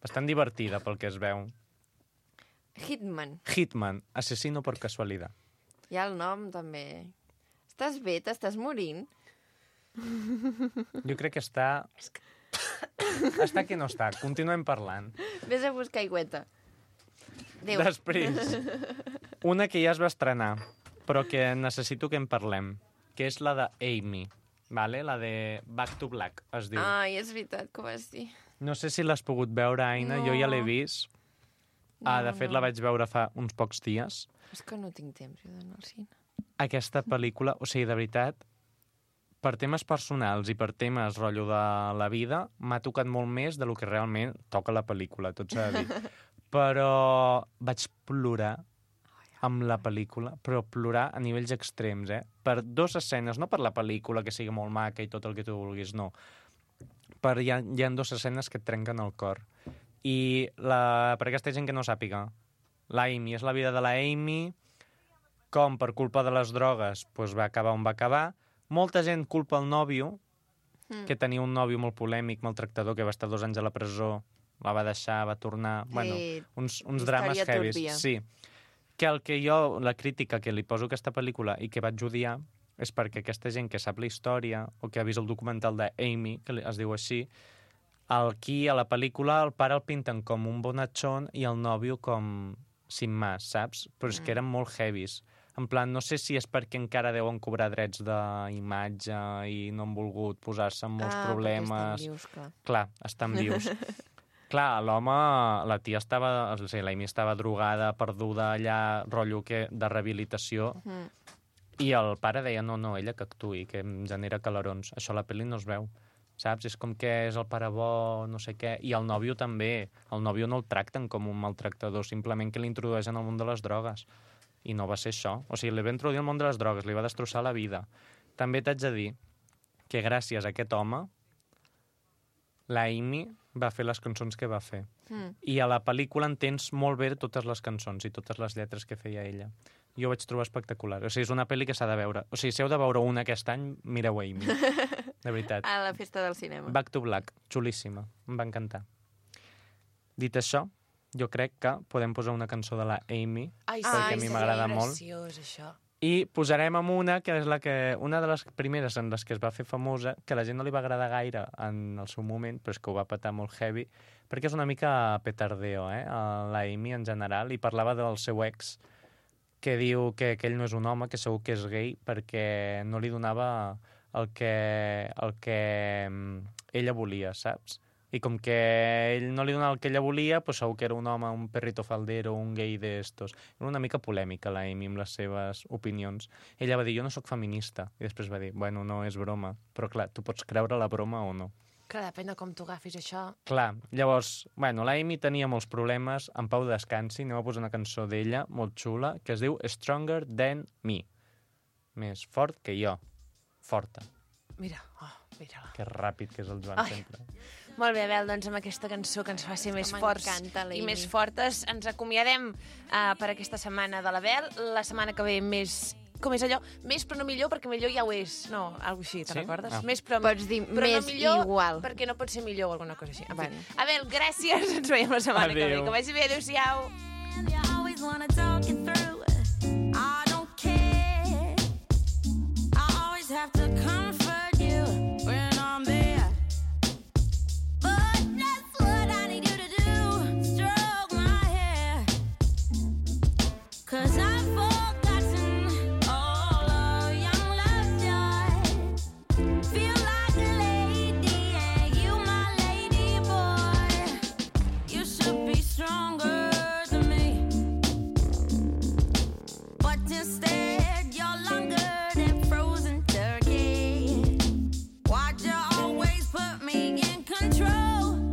Bastant divertida, pel que es veu. Hitman. Hitman, asesino por casualidad. Ja el nom, també. Estàs bé? T'estàs morint? Jo crec que està... Està que no està. Continuem parlant. Ves a buscar aigüeta. Adéu. Després, una que ja es va estrenar, però que necessito que en parlem, que és la de Amy, vale? La de Back to Black, es diu. Ai, és veritat que ho vas dir. No sé si l'has pogut veure, Aina, No. jo ja l'he vist. Ah, de No, fet, no. la vaig veure fa uns pocs dies. És que no tinc temps jo d'anar al cine. Aquesta pel·lícula, o sigui, de veritat, per temes personals i per temes rotllo de la vida, m'ha tocat molt més de lo que realment toca la pel·lícula, tot s'ha de dir. Però vaig plorar amb la pel·lícula, però plorar a nivells extrems, eh? Per dues escenes, no per la pel·lícula, que sigui molt maca i tot el que tu vulguis, no. per, hi, ha, hi ha dues escenes que et trenquen el cor. I la, per aquesta gent que no sàpiga, l'Amy és la vida de la Amy, com per culpa de les drogues pues, va acabar on va acabar. Molta gent culpa el nòvio, mm. que tenia un nòvio molt polèmic, maltractador, que va estar dos anys a la presó, la va deixar, va tornar... Sí. Bueno, uns, uns drames heavies. Sí. Que el que jo, la crítica que li poso a aquesta pel·lícula i que vaig odiar és perquè aquesta gent que sap la història o que ha vist el documental d'Amy, que es diu així, aquí a la pel·lícula el pare el pinten com un bonachón i el nòvio com sin más, saps? Però és que eren molt heavies. En plan, no sé si és perquè encara deuen cobrar drets d'imatge i no han volgut posar-se en molts ah, problemes. Estan vius, clar. Clar, estan vius. Clar, l'home, la tia estava, o sigui, l'Amy estava drogada, perduda allà, rotllo que, de rehabilitació, mm. i el pare deia, no, no, ella que actuï, que em genera calarons. Això a la pel·li no es veu, saps? És com que és el pare bo, no sé què, i el nòvio també. El nòvio no el tracten com un maltractador, simplement que l'introdueixen al món de les drogues. I no va ser això. O sigui, li va introduir al món de les drogues, li va destrossar la vida. També t'haig de dir que gràcies a aquest home, la Amy va fer les cançons que va fer. Mm. I a la pel·lícula entens molt bé totes les cançons i totes les lletres que feia ella. Jo ho vaig trobar espectacular. O sigui, és una pel·li que s'ha de veure. O sigui, si heu de veure una aquest any, mireu Amy. De veritat. A la festa del cinema. Back to Black. Xulíssima. Em va encantar. Dit això, jo crec que podem posar una cançó de la Amy, Ai, perquè sí, a mi m'agrada molt. Preciós, això. I posarem amb una que és la que, una de les primeres en les que es va fer famosa, que a la gent no li va agradar gaire en el seu moment, però és que ho va petar molt heavy, perquè és una mica petardeo, eh? La Amy en general, i parlava del seu ex, que diu que, que ell no és un home, que segur que és gay, perquè no li donava el que, el que ella volia, saps? I com que ell no li donava el que ella volia, pues segur que era un home, un perrito faldero, un gay d'estos. Era una mica polèmica, la Amy, amb les seves opinions. Ella va dir, jo no sóc feminista. I després va dir, bueno, no és broma. Però clar, tu pots creure la broma o no. Clar, depèn de com tu agafis això. Clar, llavors, bueno, la Amy tenia molts problemes, en pau descansi, anem a posar una cançó d'ella, molt xula, que es diu Stronger Than Me. Més fort que jo. Forta. Mira, oh, mira-la. Que ràpid que és el Joan, Ai. sempre. Molt bé, Abel, doncs amb aquesta cançó que ens fa ser més forts i més fortes ens acomiadem uh, per aquesta setmana de l'Abel. La setmana que ve més... Com és allò? Més però no millor, perquè millor ja ho és. No, alguna així, te'n Sí? recordes? Ah. Més però, Pots dir però més no millor, igual. perquè no pot ser millor o alguna cosa així. En fi. Bueno. Abel, gràcies. Ens veiem la setmana que ve. Adéu. Que vagi bé. Adéu-siau. You always wanna talk it through. I don't care. I always have to comfort you when I'm there. But that's what I need you to do. Stroke my hair. 'Cause I've forgotten all of young love's joy. Feel like a lady and you my lady boy. You should be stronger than me. But instead you're longer than frozen turkey. Why'd you always put me in control?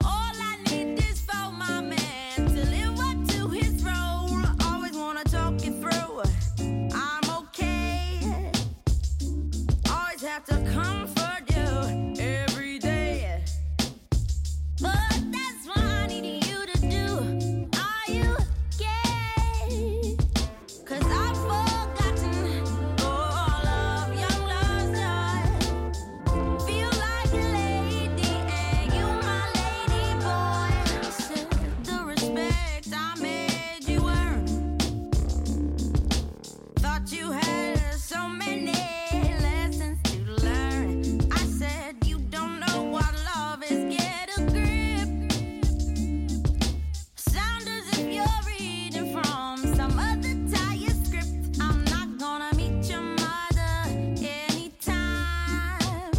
All I need is for my man to live up to his role. Always wanna talk it through. I'm okay. Always have to comfort you every day. But that's what I need you to do. Are you gay? 'Cause I've forgotten all of young love's joy. Feel like a lady and you my lady boy. Said the respect I made you earn. Thought you had so many lessons to learn. I said you don't know what love is. Get a grip. Sound as if you're reading from some other tired script. I'm not gonna meet your mother anytime.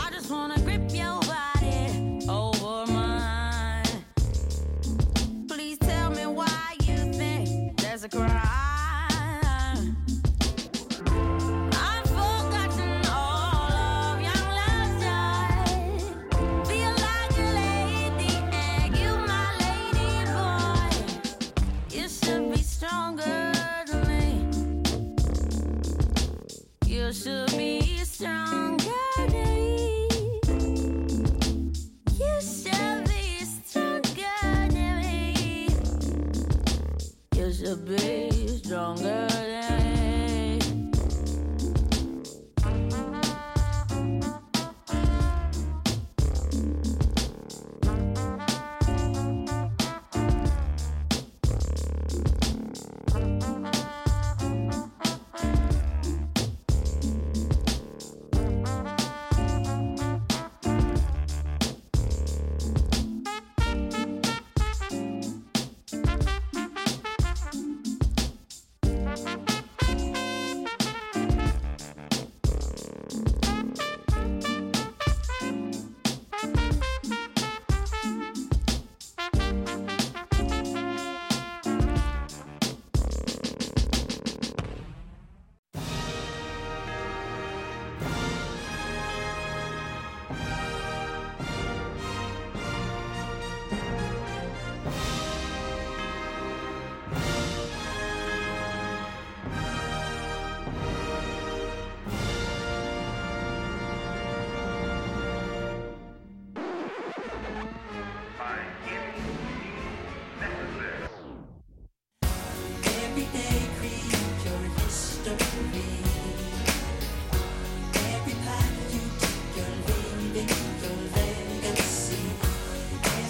I just wanna grip your body over mine. Please tell me why you think there's a crime. I've forgotten all of young love's joy. Feel like a lady and you my lady boy. You should be stronger than me. You should be stronger. You should be stronger than me. You should be stronger than me.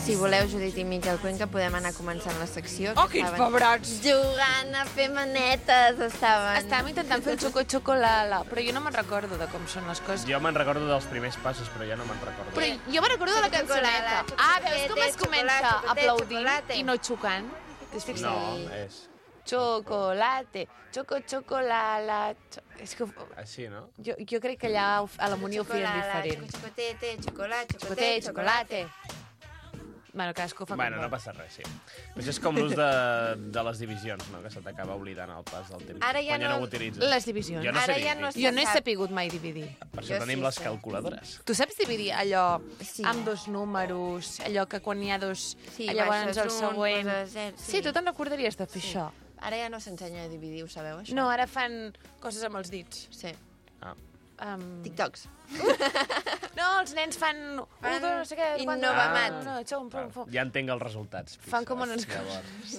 Si voleu, Judit i Miquel Cuenca, podem anar començant la secció. Oh, que quins estaven pebrots! Jugant a fer manetes, estaven. Estàvem intentant fer el xoco-xocolala, però jo no me'n recordo de com són les coses. Jo me'n recordo dels primers passos, però ja no me'n recordo. Però jo me'n recordo de la cançoneta. Xocolala, Ah, veus com es xocolate, comença xocolate, aplaudint xocolate. i no xocant? T'has fixat? No, és Chocolate, choco, chocolala... Cho... És que així, no? jo, jo crec que allà ho- a la Munió ho feien diferent. Xocotete, xocolate, Chocolate, chocolate. Bueno, cadascú fa Bueno, com no vol. passa res, sí. Però això és com l'ús de, de les divisions, no? Que se t'acaba oblidant al pas del temps. Ara ja quan ja no no- ho utilitzes. Les divisions. Jo no Ara sé ja dividir. no sé. Jo no he sap. sapigut mai dividir. Per Jo això tenim sí les sé. calculadores. Tu saps dividir allò Sí. amb dos números, allò que quan hi ha dos, Sí, llavors baixes el un, següent... poses zero, Sí. sí. tu te'n recordaries de fer Sí. això? Ara ja no s'ensenya a dividir, ho sabeu, això? No, ara fan coses amb els dits. Sí. Ah. Um... TikToks. No, els nens fan... Un, Fan dos, no sé què... quan- Innovamat. No, xom, pum, pum. Ja entenc els resultats. Fan com fixes, unes llavors.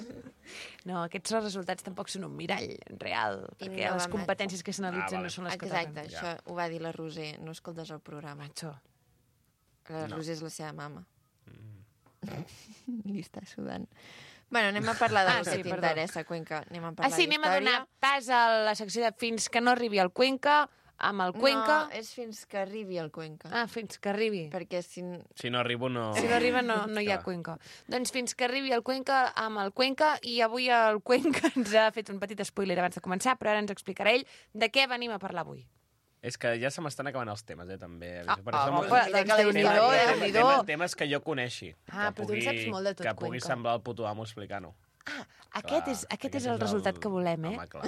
No, aquests resultats tampoc són un mirall real, perquè les Innovamat. competències que s'analitzen Ah, vale. no són les que Exacte, toquen. això ho va dir la Roser. No escoltes el programa. Macho. La No. Roser és la seva mama. Li està sudant. Bueno, anem a parlar de Ah, lo que sí, perdó. t'interessa, Cuenca. Anem a Ah, parlar sí, anem a d'història. donar pas a la secció de fins que no arribi al Cuenca, amb el Cuenca... No, és fins que arribi el Cuenca. Ah, fins que arribi. Perquè si... Si no arribo, no... Si no arriba, no, no hi ha Clar. Cuenca. Doncs fins que arribi el Cuenca amb el Cuenca, i avui el Cuenca ens ha fet un petit spoiler abans de començar, però ara ens explicarà ell de què venim a parlar avui. És que ja se m'estan acabant els temes, eh, també. Ah, Per ah, això va, m'ho- va, Mira doncs que la Déu-n'hi-do, història- Déu-n'hi-do. temes, temes que jo coneixi. Ah, que però tu en pugui, saps molt de tot, Que pugui Cuenca. semblar el puto amo explicant-ho. Ah, aquest, és, aquest és el resultat que volem, eh? Home, clar.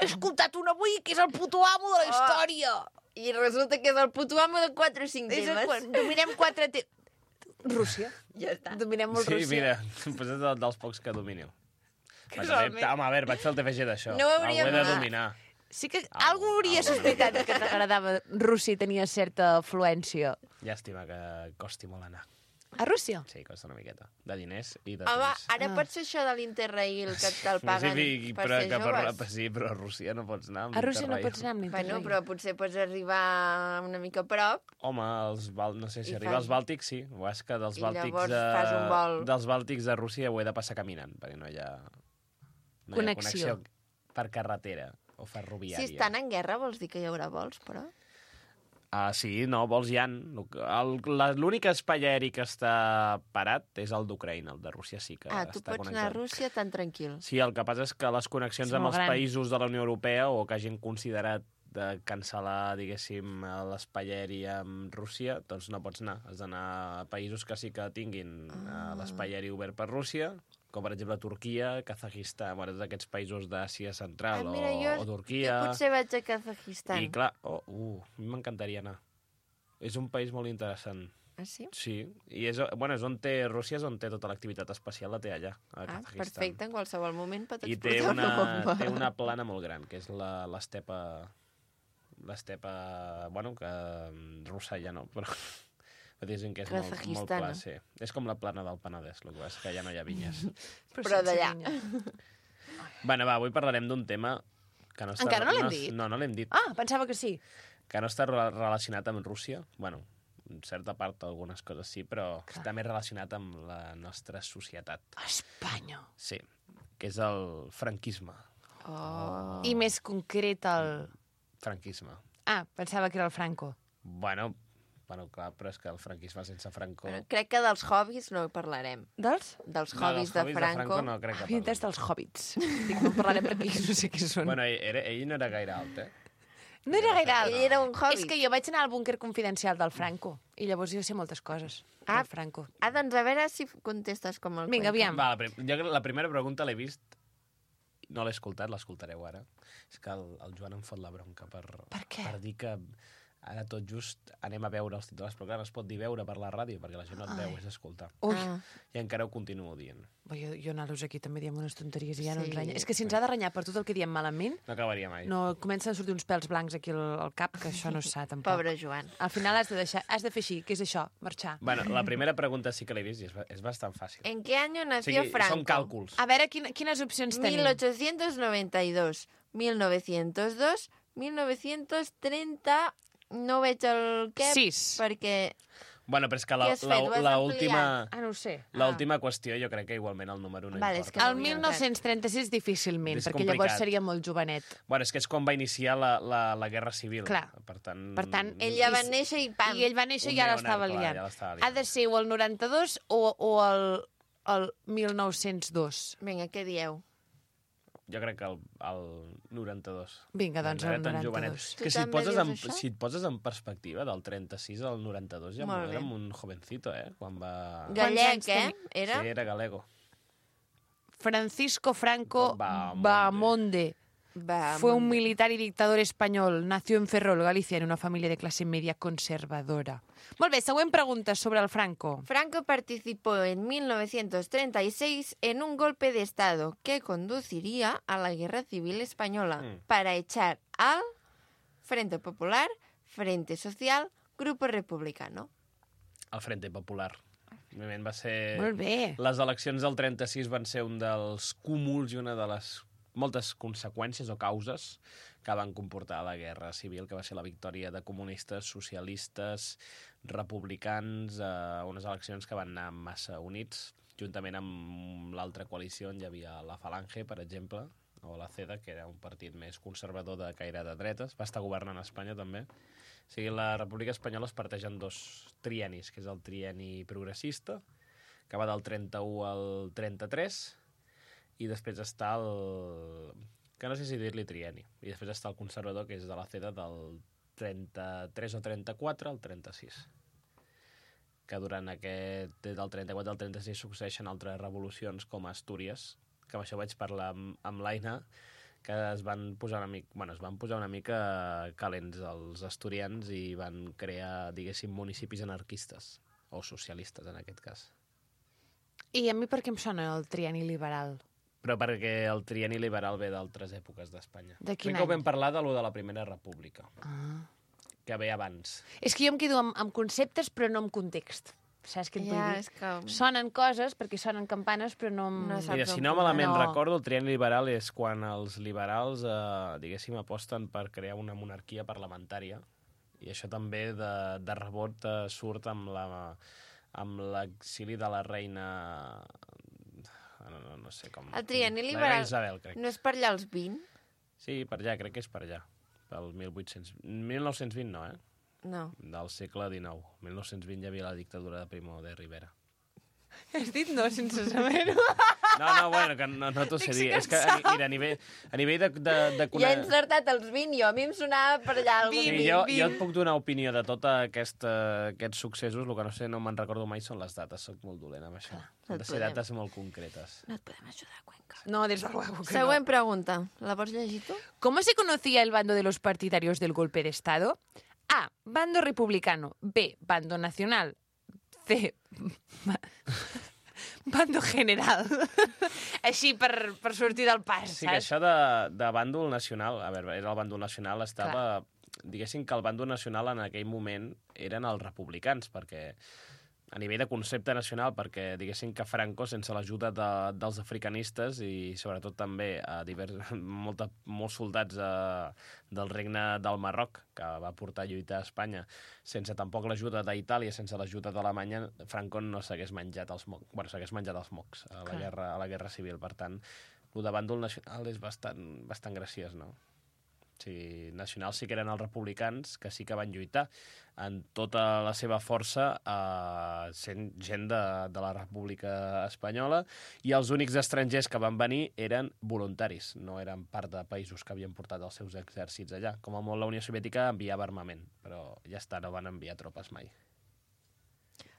He escoltat un avui que és el puto amo de la història. I resulta que és el puto amo de quatre o cinc És el, temes. quan dominem quatre te... Rússia. Ja està. Dominem molt Sí, Rússia. mira, pues és de- dels pocs que domino. Va, Casualment. també, home, a veure, vaig fer el T F G d'això. No hauríem Algú he de de- dominar. Sí que Ah, algú hauria ah, sospitat que t'agradava Rússia i tenia certa afluència. Llàstima que costi molt anar. A Rússia? Sí, costa una miqueta. De diners i de Home, temps. ara Ah. pot ser això de l'Interrail, que te'l paguen Sí, per però, ser que joves. per, sí, però a Rússia no pots anar. amb A Rússia no Interrail. pots anar amb Bueno, l'Interrail. però potser pots arribar una mica a prop. Home, els Bal... no sé si I arriba fas- als Bàltics, sí. O és que dels I Bàltics, llavors de... fas un vol. dels Bàltics de Rússia ho he de passar caminant, perquè no hi ha, no Connexió. hi ha connexió per carretera o ferroviària. Si estan en guerra vols dir que hi haurà vols, però... Ah, sí, no, vols hi ha. El- la- L'únic espai aeri que està parat és el d'Ucraïna, el de Rússia sí que Ah, tu està pots anar a connectat. Rússia tan tranquil. Sí, el que passa és que les connexions És amb molt els gran. països de la Unió Europea o que hagin considerat de cancel·lar, diguéssim, l'espai aeri amb Rússia, doncs no pots anar. Has d'anar a països que sí que tinguin ah. l'espai aeri obert per Rússia, com per exemple Turquia, Kazakistan, bueno, tots aquests països d'Àsia Central Ah, mira, jo, o, o Turquia. jo potser vaig a Kazakistan. I clar, oh, uh, a mi m'encantaria anar. És un país molt interessant. Ah, sí? Sí, i és, bueno, és on té, Rússia és on té tota l'activitat espacial, la té allà, a Ah, Kazakistan. perfecte, en qualsevol moment pot I té explotar una, una bomba. té una plana molt gran, que és la- l'estepa l'estepa, bueno, que russa ja no, però diguéssim que és molt, molt Kazajistana. pla, sí. És com la plana del Penedès, el que és que ja no hi ha vinyes. Però sense d'allà. vinya. Bueno, va, avui parlarem d'un tema que no està... Encara no l'hem dit? No, no l'hem dit. Ah, pensava que sí. Que no està re- relacionat amb Rússia. Bueno, en certa part algunes coses sí, però Clar. està més relacionat amb la nostra societat. Espanya. Sí, que és el franquisme. Oh. I més concret el... Franquisme. Ah, pensava que era el Franco. Bueno, bueno, clar, però és que el franquisme sense Franco... Bueno, crec que dels hobbies no parlarem. Dels? Dels No, hobbies dels de Franco. no crec que Havia entès parli. dels hobbits. Dic, no en parlarem perquè no sé què són. Bueno, ell, era, ell no era gaire alt, eh? no era gaire alt. Ell era un hobbit. És que jo vaig anar al búnquer confidencial del Franco i llavors jo sé moltes coses Ah. del Franco. Ah, doncs a veure si contestes com el Vinga, Cuenca. aviam. Va, la, prim jo la primera pregunta l'he vist, no l'he escoltat, l'escoltareu ara. És que el, el Joan em fot la bronca per, Per què? per dir que ara tot just anem a veure els titulars, però clar, no es pot dir veure per la ràdio, perquè la gent no et veu, és escoltar. Ui, Ah. I encara ho continuo dient. Bo, jo, jo nosaltres aquí també diem unes tonteries i ja no Sí. ens renya. És que si ens ha de renyar per tot el que diem malament, No acabaria mai. no comencen a sortir uns pèls blancs aquí al, al cap, que això no és sa, tampoc. Pobre Joan. Al final has de, deixar, has de fer així, que és això, marxar. Bueno, la primera pregunta sí que l'he vist i és, ba- és bastant fàcil. ¿En qué año O nació sigui, Franco? són càlculs. A veure, quin, quines opcions tenim? mil ochocientos noventa y dos, mil novecientos dos, mil novecientos trenta... No veig el què, Sis. perquè... Bueno, però és que la, Què has la, fet? Ho has la última, Ah, no ho sé. l'última qüestió jo crec que igualment el número no Vale, és importa. que- El mil nou-cents trenta-sis difícilment, És perquè complicat. llavors seria molt jovenet. Bueno, és que és quan va iniciar la, la, la Guerra Civil. Clar. Per tant... Per tant, Ell ja va I- néixer i pam. I ell va néixer Un i ja neonar, l'estava clar, liant. ja l'estava Ha liant. de ser o el noranta-dos o, o el, el mil nou-cents dos. Vinga, què dieu? Jo crec que el, el noranta-dos. Vinga, doncs Era el tan jovenet. noranta-dos. Tu Que si et, també poses dius en, això? si et poses en perspectiva, del trenta-sis al noranta-dos ja Molt bé. érem un jovencito, eh? Quan va... Gallec, anys eh? tenia? Era? Sí, era galego. Francisco Franco Bahamonde. Bahamonde. Va, Fue un amunt. militar y dictador español. Nació en Ferrol, Galicia, en una familia de clase media conservadora. Molt bé, següent pregunta sobre el Franco. Franco participó en mil novecientos treinta y seis en un golpe de Estado que conduciría a la Guerra Civil Española Mm. para echar al Frente Popular, Frente Social, Grupo Republicano. El Frente Popular. Òbviament va ser... Molt bé. Les eleccions del trenta-sis van ser un dels cúmuls i una de les moltes conseqüències o causes que van comportar la Guerra Civil, que va ser la victòria de comunistes, socialistes, republicans, eh, unes eleccions que van anar massa units, juntament amb l'altra coalició on hi havia la Falange, per exemple, o la CEDA, que era un partit més conservador de caire de dretes, va estar governant a Espanya també. O sigui, la República Espanyola es parteix en dos triennis, que és el trienni progressista, que va del trenta-u al trenta-tres, i després està el... que no sé si dir-li trienni. I després està el conservador, que és de la CEDA, del trenta-tres o trenta-quatre al trenta-sis. Que durant aquest... des del trenta-quatre al trenta-sis succeeixen altres revolucions, com a Astúries, que amb això vaig parlar amb, amb l'Aina, que es van posar una mica, bueno, es van posar una mica calents els asturians i van crear, diguéssim, municipis anarquistes, o socialistes en aquest cas. I a mi per què em sona el trienni liberal? Però perquè el trienni liberal ve d'altres èpoques d'Espanya. De quin Crec que ho any? vam parlar de lo de la Primera República, Ah. que ve abans. És que jo em quedo amb, amb conceptes però no amb context. Saps què et vull Ja, dir? és que... Sonen coses perquè sonen campanes però no... Amb... No saps Mira, si on no posar. malament No. recordo, el trienni liberal és quan els liberals, eh, diguéssim, aposten per crear una monarquia parlamentària, i això també de, de rebot eh, surt amb la amb l'exili de la reina... No, no, no sé com... El trienni La liberal reina Isabel, crec. no és per allà als vint? Sí, per allà, crec que és per allà. Pel mil vuit-cents... mil nou-cents vint no, eh? No. Del segle dinou. mil nou-cents vint hi havia la dictadura de Primo de Rivera. Has dit no sense saber-ho. No, no, bueno, que no, no t'ho sé dir. És que, a, ni- mira, a nivell, a nivell de, de, de Ja he encertat els vint, jo. A mi em sonava per allà algun... Sí, vint, jo, vint. jo et puc donar opinió de tots aquest, aquests successos, el que no sé, no me'n recordo mai són les dates, soc molt dolent amb això. no Han et de ser podem. dates molt concretes. No et podem ajudar, Cuenca. No, des de luego que Següent pregunta. La vols llegir tu? ¿Cómo se conocía el bando de los partidarios del golpe de Estado? A. Bando republicano. B. Bando nacional. C. ba- Bando general. Així per, per sortir del pas, Sí, que saps? això de, de bàndol nacional, a veure, era el bàndol nacional, estava... diguéssim que el bàndol nacional en aquell moment eren els republicans, perquè a nivell de concepte nacional, perquè diguéssim que Franco, sense l'ajuda de, dels africanistes i sobretot també a divers, molta, molts soldats a, del regne del Marroc, que va portar a lluitar a Espanya, sense tampoc l'ajuda d'Itàlia, sense l'ajuda d'Alemanya, Franco no s'hagués menjat els mocs, bueno, s'hagués menjat els mocs a la, guerra, a la guerra civil. Per tant, el de bàndol nacional és bastant, bastant graciós, no? O sigui, nacionals sí que eren els republicans, que sí que van lluitar en tota la seva força eh, sent gent de, de la República Espanyola, i els únics estrangers que van venir eren voluntaris, no eren part de països que havien portat els seus exèrcits allà. Com a molt la Unió Soviètica enviava armament, però ja està, no van enviar tropes mai.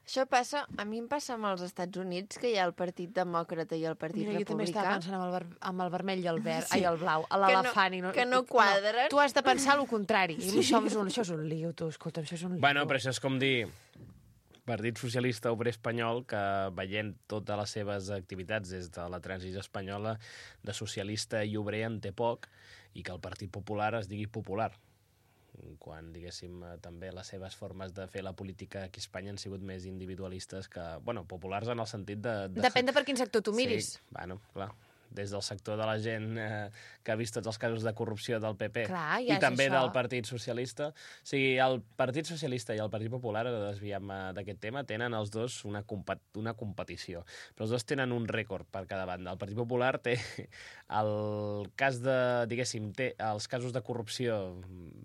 Això passa, a mi em passa amb els Estats Units, que hi ha el Partit Demòcrata i el Partit Mira, jo també Republicà. estava pensant amb el, ver amb el vermell i el verd, Sí. ai, el blau, Que no- l'elefant. No, que no quadren. No, tu has de pensar el contrari. Sí. Això, és un, això és un lío, tu, escolta, això és un lío. Bueno, però això és com dir Partit Socialista Obrer Espanyol, que veient totes les seves activitats des de la transició espanyola, de socialista i obrer en té poc, i que el Partit Popular es digui popular, quan, diguéssim, eh, també les seves formes de fer la política aquí a Espanya han sigut més individualistes que, bueno, populars en el sentit de... de... Depèn de per quin sector tu miris. Sí, bueno, clar. Des del sector de la gent eh, que ha vist tots els casos de corrupció del P P Clar, i ja és també això. del Partit Socialista. O sigui, el Partit Socialista i el Partit Popular, ara desviem d'aquest tema, tenen els dos una, compa una competició. Però els dos tenen un rècord per cada banda. El Partit Popular té el cas de, diguéssim, té els casos de corrupció...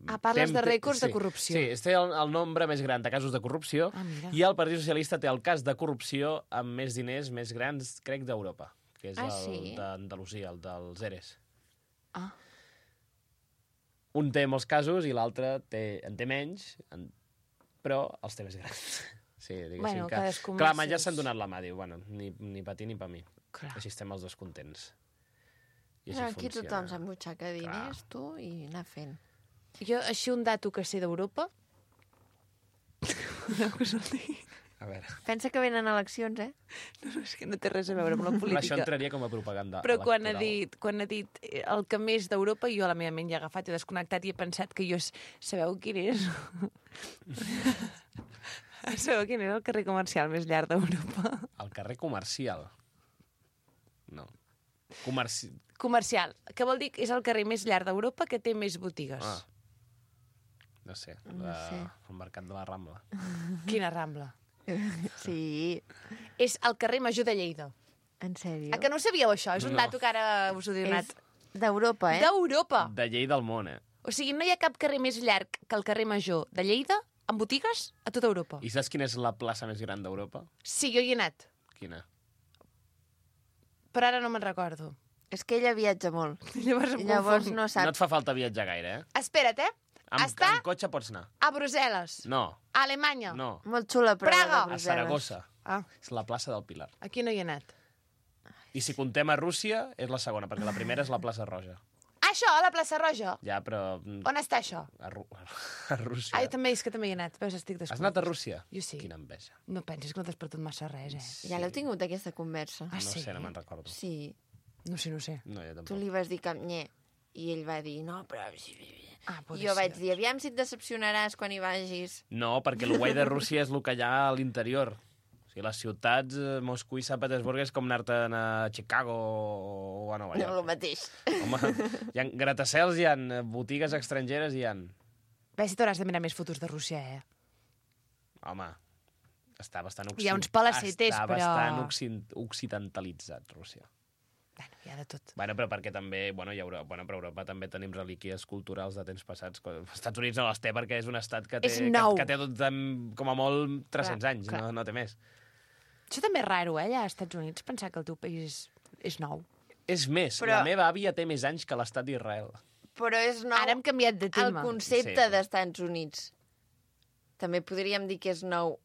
Ah, parles té- de rècords de sí, corrupció. Sí, té el, el nombre més gran de casos de corrupció, Ah, mira. i el Partit Socialista té el cas de corrupció amb més diners més grans, crec, d'Europa, que és Ah, el sí? d'Andalusia, el dels ERES. Ah. Un té molts casos i l'altre té, en té menys, en, però els té més grans. Sí, diguéssim Bueno, que... cadascú amb Clar, els ma ja seus- s'han donat la mà, diu, bueno, ni, ni per ti ni per mi. Clar. Així estem els dos contents. I així No, aquí funciona. tothom s'embutxaca diners, tu, i anar fent. Jo, així un dato que sé d'Europa... A veure, Pensa que venen eleccions, eh? No, no, és que no té res a veure amb la això política. entraria com a propaganda Però quan ha, electoral. dit, quan ha dit eh, el que més d'Europa, jo a la meva ment ja he agafat i he desconnectat i he pensat que jo... s- Sabeu quin és? Sabeu quin és el carrer comercial més llarg d'Europa? El carrer comercial. No. Comerci... Comercial, que vol dir que és el carrer més llarg d'Europa que té més botigues. Ah. No sé, No la... sé. el mercat de la Rambla. Quina rambla. Sí, És el carrer Major de Lleida. en sèrio. A que no sabíeu això? És un No. dato que ara us ho he donat. És d'Europa, eh? D'Europa. De Lleida al món, eh? O sigui, no hi ha cap carrer més llarg que el carrer Major de Lleida amb botigues a tota Europa. I saps quina és la plaça més gran d'Europa? Sí, jo hi he anat, Quina? però ara no me'n recordo. És que ella viatja molt. Llavors em Llavors confonc. no No sap. et fa falta viatjar gaire, eh? Espera't, eh? Amb, Està amb cotxe pots anar. a Brussel·les, No, a Alemanya. no. Molt xula, però Praga. de A Brussel·les. Saragossa. Ah, És la plaça del Pilar. aquí no hi he anat. I si contem a Rússia, és la segona, perquè la primera és la plaça Roja. Això, a la plaça Roja. Ja, però... mm, On està això? A, Ru a Rússia. Ai, també és que també hi he anat. Veus, estic Has desconfós. anat a Rússia? Jo sí. Quina enveja. No pensis que no t'has perdut massa res, eh? Ja l'heu tingut, aquesta conversa. Ah, No sí? sé, no me'n recordo. Sí. No sé, no sé. No, jo Tu tampoc. li vas dir que... Nye. I ell va dir, no, però... Ah, I jo vaig dir, aviam si et decepcionaràs quan hi vagis. No, perquè el guai de Rússia és el que hi ha a l'interior. O sigui, les ciutats, eh, Moscou i Sant Petersburg és com anar-te'n a Chicago o a Nova No, York. el mateix. Home, hi ha gratacels, hi ha botigues estrangeres, hi ha... Ves si t'hauràs de mirar més fotos de Rússia, eh? Home, està bastant... Hi ha uns palacetes, està però- bastant occident- occidentalitzat, Rússia. Bueno, hi ha de tot. Bueno, però perquè també, bueno, hi ha Europa, bueno, però a Europa també tenim relíquies culturals de temps passats. Els Estats Units no les té perquè és un estat que té, És que, nou. que té tot, em, com a molt tres-cents Clar, anys, clar. no, no té més. Això també és raro, eh, allà als Estats Units, pensar que el teu país és, és nou. És més, Però- la meva àvia té més anys que l'estat d'Israel. Però és nou Ara hem canviat de el tema. concepte Sí. d'Estats Units. També podríem dir que és nou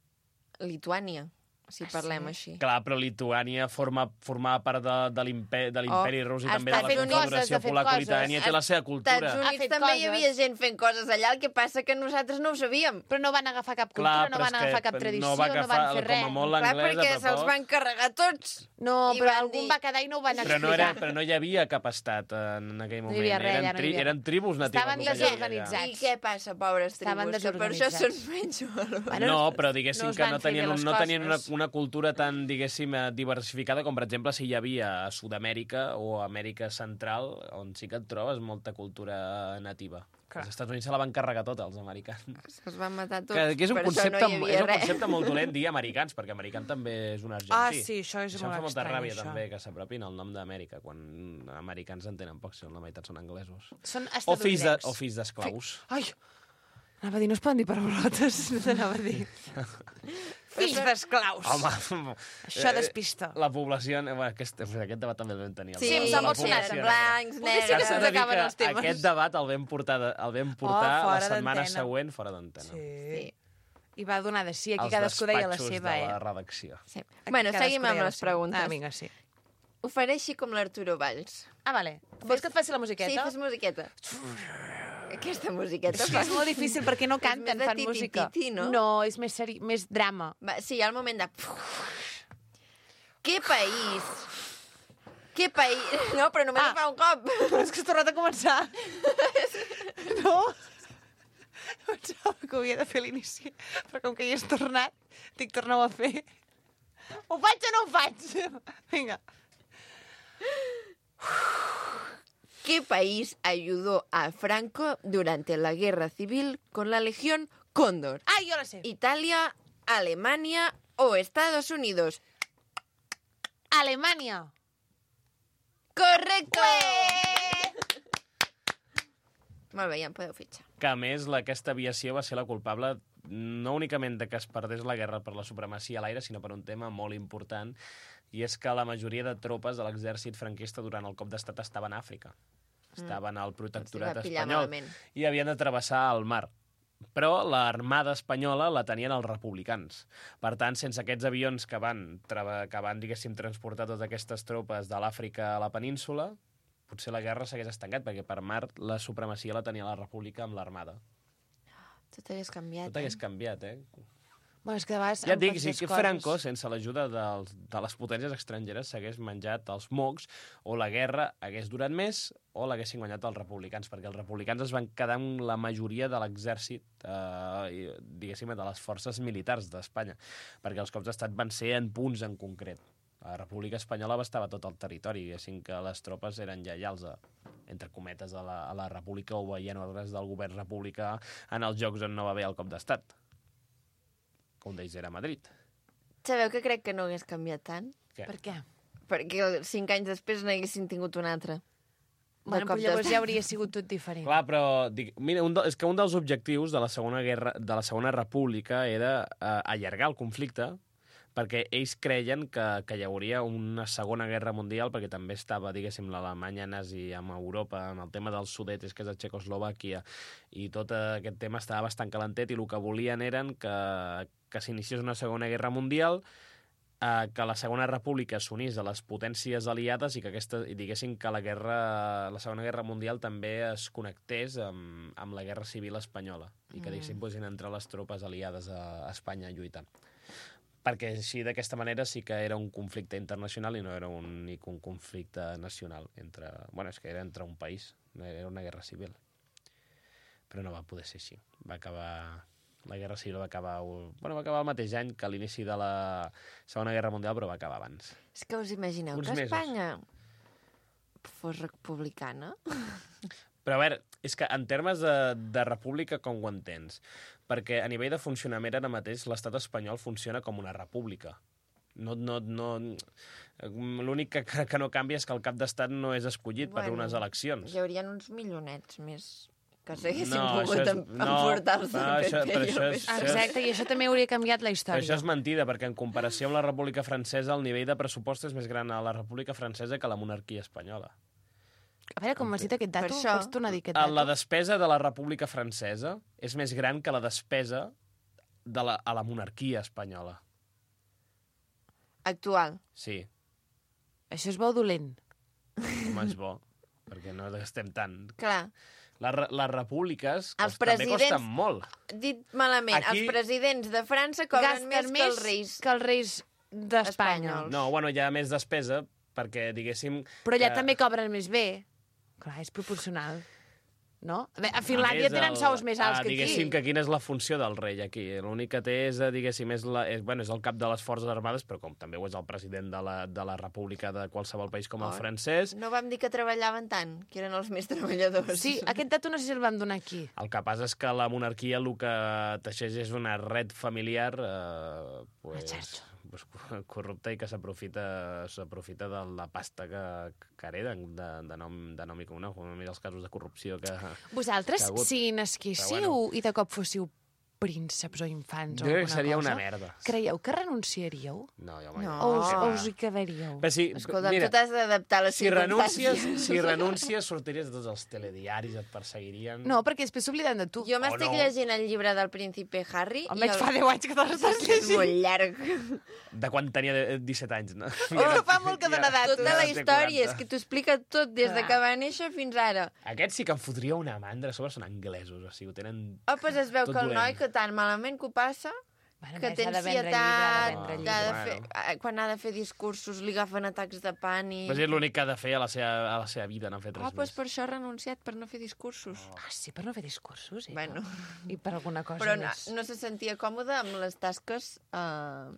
Lituània. si parlem així. Clar, però Lituània forma, formava part de, de l'imperi de l'imperi Oh, rus i ha també de estat la fent coses, Confederació ha fet Polaco-Lituània coses. té la seva Als cultura. Estats Ha Units fet també hi coses. havia gent fent coses allà, el que passa que nosaltres no ho sabíem. Però no van agafar cap cultura, Clar, no però van és que agafar cap tradició, no va no agafar, van fer res. com a molt Clar, l'anglès, perquè a se'ls poc. van carregar tots. No, I però van algun dir- va quedar i no ho van Però explicar. no, era, però no hi havia cap estat en aquell No moment. hi havia res, eren, ja no hi tri, havia eren res. tribus natives. Estaven el que hi havia allà. desorganitzats. I què passa, pobres Estaven tribus? Que per això són desorganitzats. menys valors. Bueno, No, però diguéssim no es que van no fer bé tenien, un, les no tenien una, coses. una cultura tan, diguéssim, eh, diversificada com, per exemple, si hi havia a Sud-amèrica o a Amèrica Central, on sí que et trobes molta cultura nativa. Clar. Els Estats Units se la van carregar tota, els americans. Se'ls van matar tots. Que, que és un, per això concepte, no hi havia és un res. concepte molt dolent dir americans, perquè americans també és un argentí. Ah, sí, això és Això em molt fa molta estrany, ràbia, això. també, que s'apropin al nom d'Amèrica, quan americans en tenen poc, si la meitat són anglesos. Són O fills de- estadounidencs. o fills d'esclaus. Ai, anava a dir, no es poden dir paraulotes, no t'anava a dir. Fills d'esclaus. Home, Això eh, despista. La població... eh, Bueno, aquest, aquest debat també el vam tenir. el Sí, debat de s'ha la emocionat, població eren negra. blancs, Potser sí que negres... se'ns S'ha de dir acaben que els temes. Aquest debat el vam portar, de, el vam portar Oh, la fora setmana d'antena. següent fora d'antena. Sí. I va donar de sí, aquí Als cadascú deia la despatxos seva, de la eh? redacció. Sí. Aquí Bueno, cadascú seguim deia amb la les seva. preguntes. Ah, vinga, sí. Ho faré així com l'Arturo Valls. Ah, vale. Vols que et faci la musiqueta? Sí, fes musiqueta. Aquesta musiqueta És que és molt difícil perquè no És canten, més de fan titi-titi, música. no? No, és més, seri... més drama. Va, sí, hi ha el moment de... Què país? Què país? No, però només Ah. ah. fa un cop. Però és que has tornat a començar. No? Pensava que ho havia de fer a l'inici, però com que hi has tornat, dic, torna-ho a fer. Ho faig o no ho faig? Vinga. ¿Qué país ayudó a Franco durante la guerra civil con la Legión Cóndor? Ah, jo la sé. ¿Italia, Alemania o Estados Unidos? Alemanya. ¡Correcto! Molt bé, ja em podeu fitxar. Que, a més, la, aquesta aviació va ser la culpable no únicament de que es perdés la guerra per la supremacia a l'aire, sinó per un tema molt important, i és que la majoria de tropes de l'exèrcit franquista durant el cop d'estat estaven a Àfrica. Estaven al protectorat Els va pillar espanyol malament. i havien de travessar el mar. Però l'armada espanyola la tenien els republicans. Per tant, sense aquests avions que van, trava- que van diguéssim, transportar totes aquestes tropes de l'Àfrica a la península, potser la guerra s'hagués estancat, perquè per mar la supremacia la tenia la república amb l'armada. Tot hagués canviat, Tot hagués canviat, eh? Bueno, és que de vegades... Ja et em dic, pots si les que coses. Franco, sense l'ajuda dels, de les potències estrangeres, s'hagués menjat els mocs, o la guerra hagués durat més, o l'haguessin guanyat els republicans, perquè els republicans es van quedar amb la majoria de l'exèrcit, eh, i, diguéssim, de les forces militars d'Espanya, perquè els cops d'estat van ser en punts en concret. La República Espanyola abastava tot el territori, diguéssim que les tropes eren lleials a, entre cometes, a la, a la República, o veien ordres del govern republicà en els jocs on no va haver el cop d'estat. Que un d'ells era a Madrid. Sabeu que crec que no hagués canviat tant? Què? Per què? Perquè cinc anys després n'haguessin tingut un altre. De Bueno, cop però llavors d'estat. ja hauria sigut tot diferent. Clar, però dic, mira, un de, és que un dels objectius de la Segona Guerra, de la Segona República era eh, allargar el conflicte, perquè ells creien que, que hi hauria una Segona Guerra Mundial, perquè també estava, diguéssim, l'Alemanya nazi amb Europa, amb el tema dels Sudetes, que és de Txecoslovàquia, i tot aquest tema estava bastant calentet, i el que volien eren que, que s'iniciés una Segona Guerra Mundial, eh, que la Segona República s'unís a les potències aliades i que aquesta, i diguéssim que la guerra, la Segona Guerra Mundial també es connectés amb, amb la Guerra Civil Espanyola i que, diguéssim, posin entre les tropes aliades a Espanya lluitant. Perquè així, d'aquesta manera, sí que era un conflicte internacional i no era un, únic un conflicte nacional. Entre, bueno, és que era entre un país, no era una guerra civil. Però no va poder ser així. Va acabar... La Guerra Civil va acabar, bueno, va acabar el mateix any que l'inici de la Segona Guerra Mundial, però va acabar abans. És que us imagineu Uns que mesos. Espanya fos republicana? Però a veure, és que en termes de, de república com ho entens? Perquè a nivell de funcionament ara mateix l'estat espanyol funciona com una república. No, no, no... L'únic que, que no canvia és que el cap d'estat no és escollit per unes eleccions. Hi haurien uns milionets més que s'haguessin No, pogut això és- em- no, emportar-se no, el això- P P, però jo això què és- sé. Exacte, i això també hauria canviat la Però història. això és mentida, perquè en comparació amb la República Francesa, el nivell de pressupost és més gran a la República Francesa que a la monarquia espanyola. A veure, com m'has dit aquest dato, Per això- pots tornar a dir aquest A dato? La despesa de la República Francesa és més gran que la despesa de la, a la monarquia espanyola. Actual. Sí, Això és bo o dolent? home, és bo, perquè no gastem tant. Clar. Les, re- les repúbliques Els cost, també presidents- costen molt. Dit malament, Aquí- els presidents de França cobren Gasten més que els reis. que els reis d'Espanya. espanyols. No, bueno, hi ha més despesa, perquè, diguéssim... Però allà que- també cobren més bé. Clar, és proporcional. No? A, veure, a Finlàndia A més, tenen el- sous més alts ah, que aquí. Diguéssim que quina és la funció del rei aquí. L'únic que té és, eh, diguéssim, és, la, és, bueno, és el cap de les forces armades, però com també ho és el president de la, de la república de qualsevol país com el Oh. francès. No vam dir que treballaven tant, que eren els més treballadors. Sí, aquest dato no sé si el vam donar aquí. El que passa és que la monarquia el que teixeix és una red familiar eh, pues, xarxa. pues, corrupta i que s'aprofita s'aprofita de la pasta que, que hereden de, de, nom, de nom i cognom. Mira els casos de corrupció que... Vosaltres, que ha hagut. si nasquéssiu Però i de cop fóssiu prínceps o infants o Jo crec alguna que seria cosa, una merda. creieu que renunciaríeu? No, jo mai. No. O us, Ah. o us hi quedaríeu? Però si, Escolta, mira, tu t'has d'adaptar a les si renuncies, circumstàncies. si renuncies, sortiries de tots els telediaris, et perseguirien... No, perquè després s'obliden de tu. Jo m'estic no. llegint el llibre del príncipe Harry. Em i veig el... fa deu anys que te l'estàs És llegint. molt llarg. De quan tenia de- disset anys, no? Oh, fa molt que dona datos. Tota la té història, és quaranta. que t'ho explica tot, des de Clar. que va néixer fins ara. Aquests sí que em fotria una mandra, a sobre són anglesos, o sigui, ho tenen... Oh, doncs es veu Tot que el dolent. noi que tan malament que ho passa, Bueno, que més, té ha de vendre llibre, ha de ansietat, vendre que llibre. ha de Bueno. fer, eh, quan ha de fer discursos li agafen atacs de pànic. Però és l'únic que ha de fer a la seva, a la seva vida, no ha fet res Oh, doncs més. per això ha renunciat, per no fer discursos. Ah, sí, per no fer discursos, eh? Bueno. I per alguna cosa Però no, més. no se sentia còmode amb les tasques eh,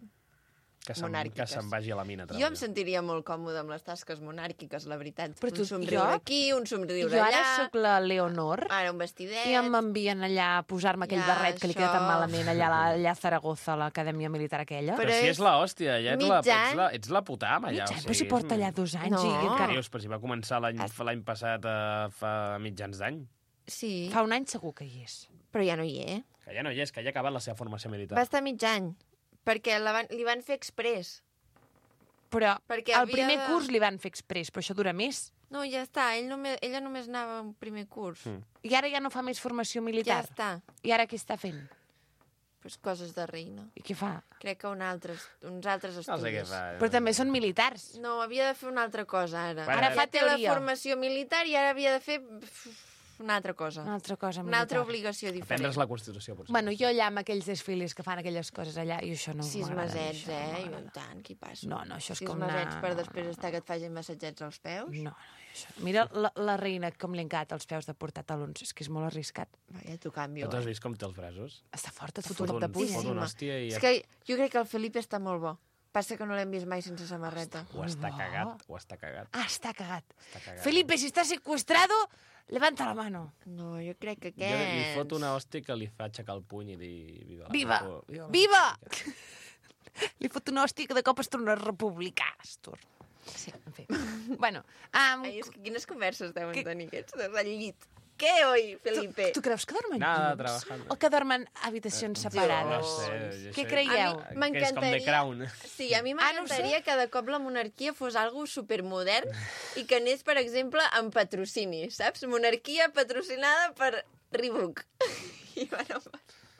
Que se'n monàrquiques. que se'n vagi a la mina. a Jo em treballar. sentiria molt còmode amb les tasques monàrquiques, la veritat. Però tu- un somriure jo- aquí, un somriure Jo ara allà, sóc la Leonor ara un vestidet... i m'envien allà a posar-me aquell Ja, barret que li queda tan això. malament allà, a la- allà a Zaragoza, a l'acadèmia militar aquella. Però Però si és és l'hòstia, ja ets la, mig ets, la, any. ets la putam, allà. Mig any, o però si sigui, porta allà dos anys No. i Què encara... dius? Però si va començar l'any l'any passat, eh, fa mitjans d'any. Sí, Fa un any segur que hi és. però ja no hi és. Que ja no hi és, que ja ha acabat la seva formació militar. Va estar mig any, perquè la van, li van fer express. Però Perquè el havia primer de- curs li van fer express, però això dura més. No, ja està, ell només, ella només anava a un primer curs. Mm. I ara ja no fa més formació Ja militar. està. I ara què està fent? Pues coses de reina. I què fa? Crec que un altre, uns altres No estudis. sé què fa. Però també són militars. No, havia de fer una altra cosa, ara. Bueno, Ara fa ja té la teoria. formació militar i ara havia de fer una altra cosa. Una altra cosa Una altra militar. obligació diferent. Aprendre's la Constitució, potser. Bueno, jo allà amb aquells desfiles que fan aquelles coses allà, i això no Sis m'agrada. a mi, mesets, això no eh? I m'agrada. tant, qui passa? No, no, això és Sis com mesets anar- per no, després no, estar que et facin massatgets als peus? No, no, això... Mira la, la reina com li encanta els peus de portar talons, és que és molt arriscat. Va, ja t'ho canvio, No t'has eh? vist com té els braços? Està fort, et Fot fot un un, cop de puny. fot Sí, una ma. hòstia i És que jo crec que el Felipe està molt bo. Passa que no l'hem vist mai sense samarreta. ho està No. cagat, ho està cagat. Ah, està cagat. Està cagat. Felipe, si estás secuestrado, levanta la mano. No, jo crec que Jo li aquests... fot una hòstia que li fa aixecar el puny i dir... Viva! la Viva! República. Viva! Li fot una hòstia que de cop es torna republicà, Astur. Sí, en fi. Bueno, um, Ai, és que quines converses deuen Que- tenir aquests dos al llit. Què, oi, Felipe? tu creus que dormen Nada, junts? trabajando. O que dormen a habitacions separades? No sé, jo Què sé- creieu? A Que mi és com The Crown. Sí, a mi Ah, no ho m'encantaria que de cop la monarquia fos algo supermodern i que anés, per exemple, amb patrocini, saps? Monarquia patrocinada per Reebok. I bueno,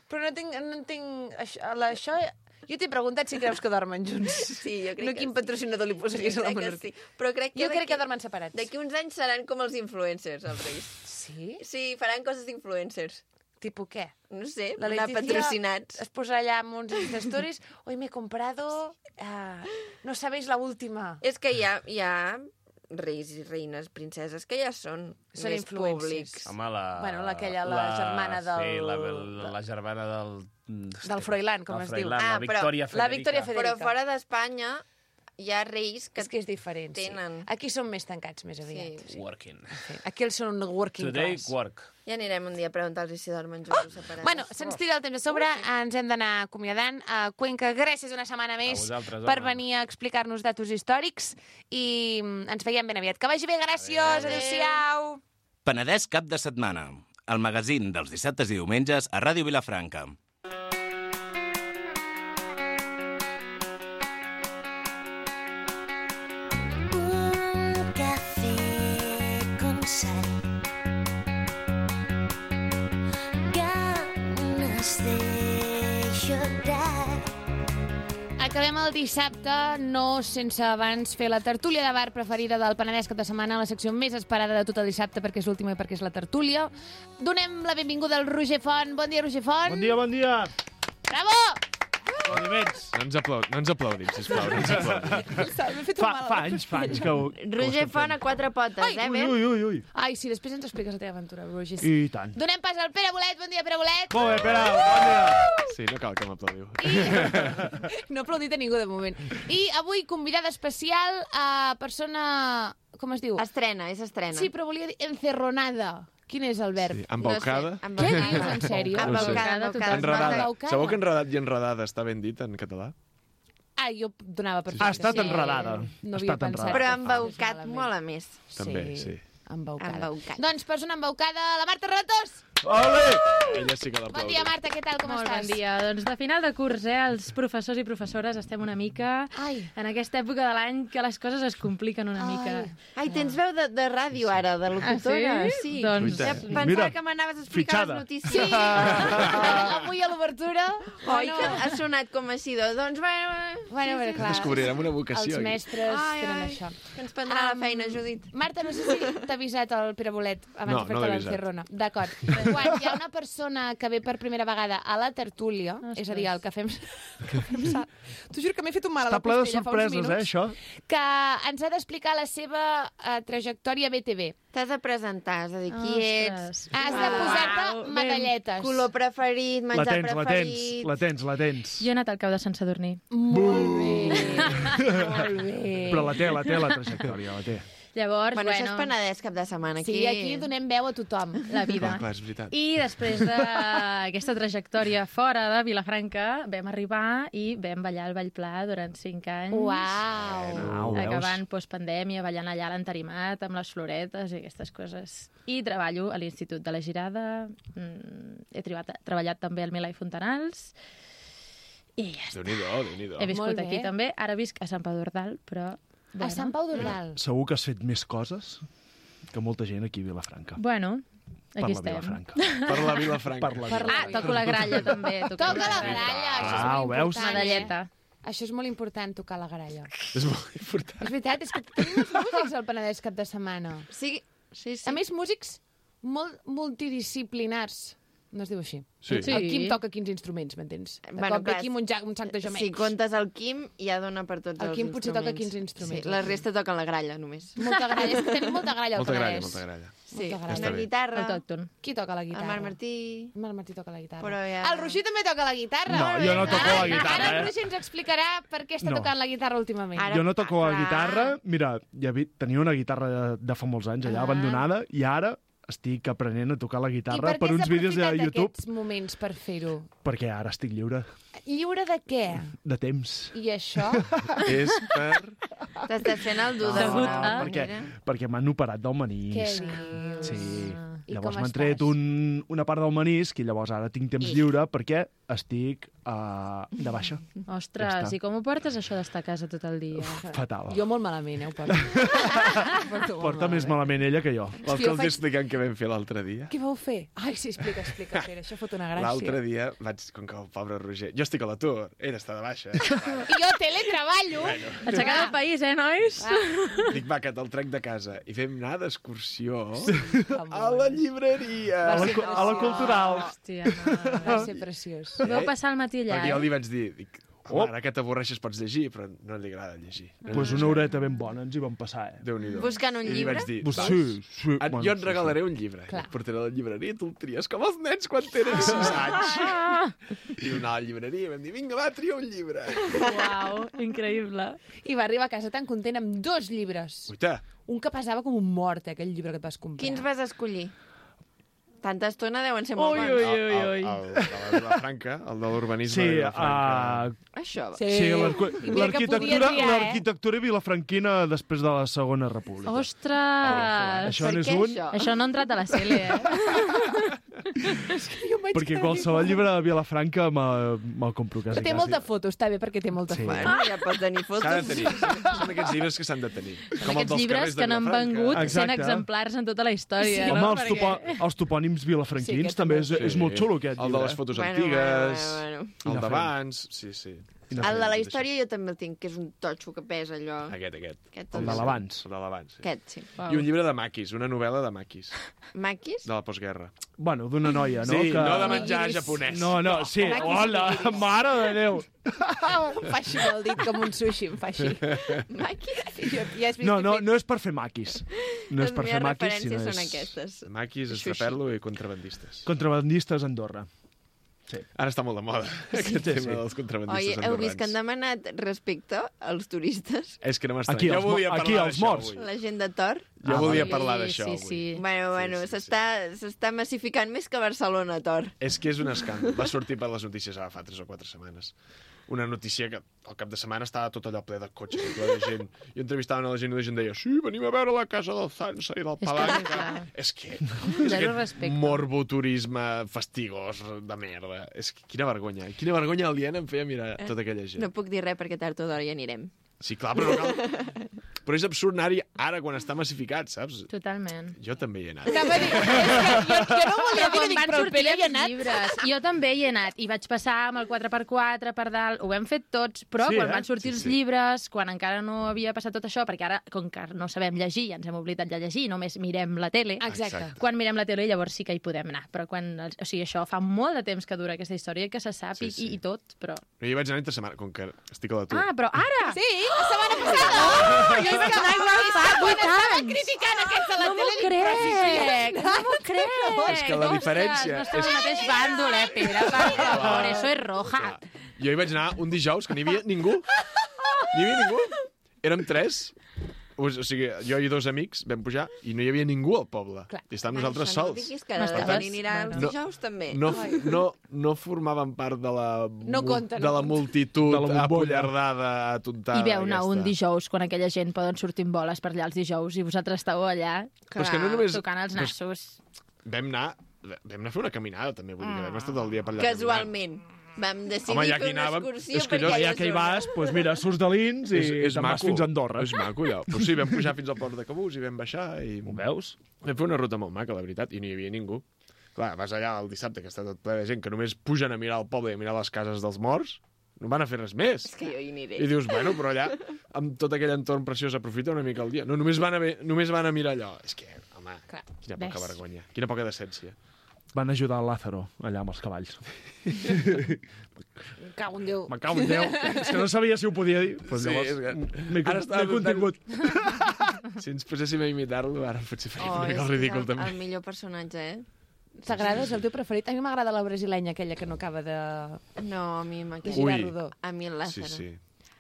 Però no entenc... No entenc això, la, això... Jo t'he preguntat si creus que dormen junts. sí, jo crec No que quin sí. patrocinador li posaries a la Crec que monarquia. sí. Però crec que Jo crec d'aquí- que dormen separats. D'aquí uns anys seran com els influencers, els reis. Sí? Sí, faran coses d'influencers. Tipo què? No sé, La anar Leticia patrocinats. es posa allà amb uns Insta Stories. Hoy me he comprado... Uh, no sabéis la última. És que hi ha, hi ha reis i reines, princeses, que ja són, Són més influencers. públics. Home, la... Bueno, l'aquella, la germana del- Sí, la, la, la germana del... Del Froilán, com del es diu. Froilán, Ah, la però Victòria la Federica. Victòria Federica. Però fora d'Espanya hi ha reis que... És que és diferent, tenen. sí. Aquí són més tancats, més aviat. Sí. Sí. Working. Sí. Aquí els són working Today, class. work. Ja anirem un dia a preguntar-los si dormen junts o separats. Bueno, se'ns tira el temps a sobre, ens hem d'anar acomiadant. A Cuenca, gràcies una setmana més vosaltres, per home. venir a explicar-nos datos històrics i mm, ens veiem ben aviat. Que vagi bé, gràcies, adéu-siau. Penedès cap de setmana. El magazín dels dissabtes i diumenges a Ràdio Vilafranca. Un café con sal. Ganas de llorar. acabem el dissabte, no sense abans fer la tertúlia de bar preferida del Penedès cap de setmana, la secció més esperada de tot el dissabte perquè és l'última i perquè és la tertúlia. Donem la benvinguda al Roger Font. Bon dia, Roger Font. Bon dia, bon dia. Bravo! Aplaudiments. No ens, aplaud no ens aplaudim, sisplau. No ens aplaudim. Fa, fa anys, fa anys que ho... Roger Font a quatre potes, Ai, eh, Ui, Ben? ui, ui, ui. Ai, sí, després ens expliques la teva aventura, Roger. I tant. Donem pas al Pere Bolet. Bon dia, Pere Bolet. Molt bé, Pere, bon dia. Sí, no cal que m'aplaudiu. No ha aplaudit a ningú de moment. I avui convidada especial a persona... Com es diu? Estrena, és estrena. Sí, però volia dir encerronada. Quin és el verb? Sí, embaucada. No sé, Què embaucada. dius, en sèrio? Embaucada, embaucada. Enredada. Embaucada? Sabeu que enredat i enredada està ben dit en català? Ah, jo donava per Ha fet. estat Sí. enredada. No Ha havia estat pensat. enredada. Però que embaucat fos molt a més. També, sí. Embaucada. Embaucat. Doncs persona embaucada, la Marta Ratos. Ole! Ella sí que Bon l'aplaudim. dia, Marta, què tal, com Molt estàs? bon dia. Doncs de final de curs, eh? Els professors i professores estem una mica Ai. en aquesta època de l'any que les coses es compliquen una mica. Ai, tens veu de, de ràdio ara, de locutora. Ah, sí? Doncs- Ja Sí. pensava Mira, que m'anaves a explicar fitxada. les notícies. Sí, avui a l'obertura. Oi, que ha sonat com així, de, doncs, bueno... Bueno, a veure, clar. Descobrirem una vocació Els aquí. mestres Ai, tenen ai, això. que ens prendrà Am, la feina, Judit. Marta, no sé si t'ha avisat el Pere Bolet abans No, de fer-te no l'he avisat. l'encerrona. D'acord. Quan hi ha una persona que ve per primera vegada a la tertúlia, Ostres. és a dir, el que fem... Que fem sa... T'ho juro que m'he fet un mal a Està la ple de costella fa uns sorpreses, minuts, eh, això? que ens ha d'explicar la seva uh, trajectòria B T V. T'has de presentar, és a dir, qui ets, Ostres. Has de Uau. posar-te Ben. medalletes. color preferit, La menjar tens, la tens, preferit... la tens, la tens. Jo he anat al cau de Sant Sadurní. Molt bé. Molt bé. Però la té, la té, la trajectòria, la té. Llavors, Bueno, bueno, això és Penedès cap de setmana. Aquí... Sí, aquí donem veu a tothom. la vida. Clar, clar, és veritat. I després d'aquesta trajectòria fora de Vilafranca, vam arribar i vam ballar al Vallpla durant cinc anys. Uau. Au, veus? Acabant postpandèmia, ballant allà a l'entarimat, amb les floretes i aquestes coses. I treballo a l'Institut de la Girada, mm, he treballat, treballat també al Milà i Fontanals, i ja està. Déu-n'hi-do, Déu-n'hi-do. He viscut Molt bé. aquí també, ara visc a Sant Pau d'Ordal, però... A Sant Pau d'Ordal. Segur que has fet més coses que molta gent aquí a Vilafranca. Bueno, Per aquí la estem. Vilafranca. Per la Vilafranca. Per la Per la- Ah, toco la gralla també. Toco Toca la gralla, això és Ah, ho molt veus? important. Medalleta. Eh? Això és molt important, tocar la gralla. És molt important. És veritat, és que tenim els músics al Penedès cap de setmana. Sí, sí, sí. A més, músics molt multidisciplinars. No es diu així. Sí. Sí. El Quim toca quinze instruments, m'entens? De Bueno, cop ve clar, aquí amb un, ja, un sac de gemecs. Si comptes el Quim, ja dona per tots El els Quim potser instruments. toca quinze instruments. Sí, la resta toquen la gralla, només. Molta gralla. És que tenim molta gralla al Molta gralla, Penedès. molta gralla. Sí, Molta gralla. una bé. guitarra, Autòcton. Qui toca la el guitarra? Marc Martí... El Marc Martí toca la guitarra. Però ja- El Roger també toca la guitarra. No, jo no toco la guitarra, Ara el eh? Roger ens explicarà per què està No. tocant la guitarra últimament. Ara- Jo no toco la clar. guitarra. Mira, ja vi, tenia una guitarra de, de fa molts anys allà, Ah. abandonada, i ara estic aprenent a tocar la I guitarra per per què has uns vídeos de aprofitat YouTube, aquests moments per fer-ho? perquè ara estic lliure Lliure de què? de temps. I això? És per... T'estàs fent el dur No, d'alguna a- perquè, manera. perquè m'han operat del Què menisc. dius? Sí. I Llavors com m'han estàs? tret un, una part del menisc i llavors ara tinc temps I? lliure perquè estic uh, de baixa. Ostres, Ja està. i com ho portes, això d'estar a casa tot el dia? Fatal. Jo molt malament, eh, ho porto. Ho porto molt Porta més malament ella que jo. Vols jo que els faig- expliquem què vam fer l'altre dia? Què vau fer? Ai, sí, explica, explica, Pere, això fot una gràcia. L'altre dia vaig, com que el pobre Roger... Jo estic a l'atur, ell està de baixa. I jo teletreballo. Aixecar del país, eh, nois? Dic, va, que te'l trec de casa. I fem anar d'excursió Amor. a la llibreria. A la, cu- a la cultural. Hòstia, no. Va ser preciós. Vau passar el matí allà, Perquè jo eh? li vaig dir, dic, home, ara que t'avorreixes pots llegir, però no li agrada llegir. No Pues una horeta ben bona ens hi vam passar, eh? Déu-n'hi-do. Buscant un I li llibre? vaig dir, Pues "Vas? sí, sí. Et, bueno, jo et sí, regalaré un llibre. Clar. Et portaré a la llibreria i tu el tries com els nens quan tenen sis anys. Ah, I vam anar a la llibreria i vam dir, vinga, va, tria un llibre. uau, increïble. I va arribar a casa tan content amb dos llibres. Uita, Un que pesava com un mort, eh, aquell llibre que et vas comprar. Quins vas escollir? Tanta estona deuen ser molt Ui, bons. ui, el, ui, el, ui. el, de la Vilafranca, el de l'urbanisme Sí, de Vilafranca. uh, Això. Sí, sí l'arqu- I mira que l'arquitectura podia triar, eh? l'arquitectura vilafranquina després de la Segona República. Ostres! Això Per n'és què un, això? Això no ha entrat a la C L, eh? Jo em vaig perquè quedar qualsevol igual. llibre de Vilafranca me- me'l compro quasi. Té quasi. molta foto, està bé, perquè té molta Sí. foto. Bueno, ja pots tenir fotos. S'ha de tenir. Són aquests llibres que s'han de tenir. Són aquests llibres que n'han vengut cent Exacte. exemplars en tota la història, Home, no? els, topo, els topònims Sí, vilafranquins aquest també també. és, és molt xulo, aquest El de llibre. les fotos Bueno, antigues, bueno, bueno, I el la d'abans, sí, sí. El de la història jo també el tinc, que és un totxo que pesa allò. Aquest, aquest. Aquest, El de l'abans. El de l'abans, sí. Aquest, sí. I un llibre de maquis, una novel·la de maquis. Maquis? De la postguerra. Bueno, d'una noia, no? Sí, que... no de menjar japonès. No, no, sí. Hola, mare de Déu. Em fa així amb el dit com un sushi, em fa així. Maquis? Jo, ja has vist No, que he no, fet- no és per fer maquis. No és per fer maquis, sinó són és... aquestes. Maquis, estraperlo i contrabandistes. Contrabandistes a Andorra. Sí. Ara està molt de moda, aquest tema sí. dels contrabandistes Oi, heu vist que han andorrans. demanat respecte als turistes? És que no m'estranya. Aquí, Jo els, volia mo- aquí parlar els d'això morts. avui. La gent de Tor? Jo Ah, volia sí, parlar d'això sí, avui. sí. Bueno, bueno, sí, sí, s'està s'està massificant més que Barcelona, Tor. És que és un escàndol. Va sortir per les notícies ara fa tres o quatre setmanes. Una notícia que al cap de setmana estava tot allò ple de cotxes i ple de gent. I entrevistaven a la gent i la gent deia sí, venim a veure la casa del Sansa i del És que, Palanca. clar. És que... Zero És aquest respecte. morboturisme fastigós de merda. És que quina vergonya. Quina vergonya aliena em feia mirar tota aquella gent. No puc dir res perquè tard o d'hora hi anirem. Sí, clar, però no cal... Però és absurd anar-hi ara quan està massificat, saps? Totalment. Jo també hi he anat. Anava a dir, és que jo, jo no volia dir, Quan dic, van però el sortir Pere hi ha els anat. llibres, jo també hi he anat, i vaig passar amb el quatre per quatre per dalt, ho hem fet tots, però Sí, quan eh? van sortir Sí, els sí. llibres, quan encara no havia passat tot això, perquè ara, com que no sabem llegir, ja ens hem oblidat de llegir, només mirem la tele, Exacte. quan mirem la tele llavors sí que hi podem anar, però quan, o sigui, això fa molt de temps que dura aquesta història, que se sap Sí, i, sí. i, i tot, però... Jo hi vaig anar entre setmana, com que estic a l'atur. Ah, però ara! Sí, la setmana passada. Oh, jo hi vaig anar igual fa vuit anys! Criticant aquests de la No m'ho tele, dic, però sí, sí. crec, no m'ho crec! És que la diferència Ostres, no estem és- al mateix bàndol, eh, Pere? Per favor, eso es roja. Jo hi vaig anar un dijous que n'hi havia ningú. N'hi havia ningú. Érem tres. O sigui, jo i dos amics vam pujar i no hi havia ningú al poble. Clar. I estàvem nosaltres Això no ho sols. diguis, que ara Estaves- de venir anar els No. dijous també. No, no, no formaven part de la, No mul- compta, no de la compta. multitud De la bombolla. apollardada, atontada. I veu anar aquesta. un dijous quan aquella gent poden sortir en boles per allà els dijous i vosaltres esteu allà Però és que no només... tocant els però és- nassos. Vam anar, vam anar a fer una caminada, també. Vull dir que vam estar tot el dia per allà caminant. Casualment. Vam decidir Home, ja fer que una anàvem, excursió és que per allò- aquella Ja que hi zona. vas, doncs mira, surts de l'Ins i te'n vas fins a Andorra. És maco, allò. Però sí, vam pujar fins al port de Cabús i vam baixar i... Ho veus? Vam fer una ruta molt maca, la veritat, i no hi havia ningú. Clar, vas allà el dissabte, que està tot ple de gent, que només pugen a mirar el poble i a mirar les cases dels morts, no van a fer res més. És que jo hi aniré. I dius, bueno, però allà, amb tot aquell entorn preciós, aprofita una mica el dia. No, només van a, ve, només van a mirar allò. És que, home, Clar, quina poca ves. vergonya, quina poca decència. Van ajudar el Lázaro, allà amb els cavalls. Me cago en Déu. Me cago en Déu. És que no sabia si ho podia dir. Pues Sí, llavors, és que- m'he Ara estava m'he contingut. Si ens poséssim a imitar-lo, ara potser faríem Oh, una mica és el ridícul, el, també. el millor personatge, eh? T'agrada? És el teu preferit? A mi m'agrada la brasilenya, aquella que no acaba de... No, a mi de m'agrada. girar Ui. rodó. A mi el Sí, Lázaro. sí.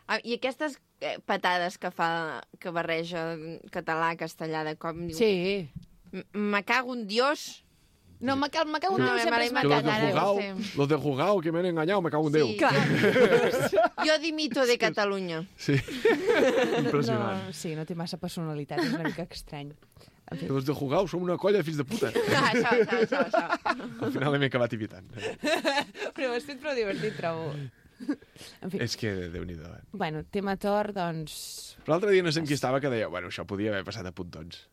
Ah, I aquestes eh, patades que fa, que barreja català, castellà, de cop... diu, Sí. "M- Me cago en Dios. No, me cago, me cago en No, Déu, me sempre és m'ha Que los matat, de ara ho jugao, sé. los de jugao que me han engañado, me cago en Déu. Sí, jo, jo dimito de Catalunya. Sí. Impressionant. No, sí, no té massa personalitat, és una mica estrany. En fi. Que los de jugao som una colla de fills de puta. Ah, això, això, això, això. Al final hem acabat imitant. Però ho has fet prou divertit, trobo. En fi, És que, Déu-n'hi-do, eh? bueno, tema Thor, doncs... Però l'altre dia no sé amb qui estava que deia, bueno, això podia haver passat a puntons.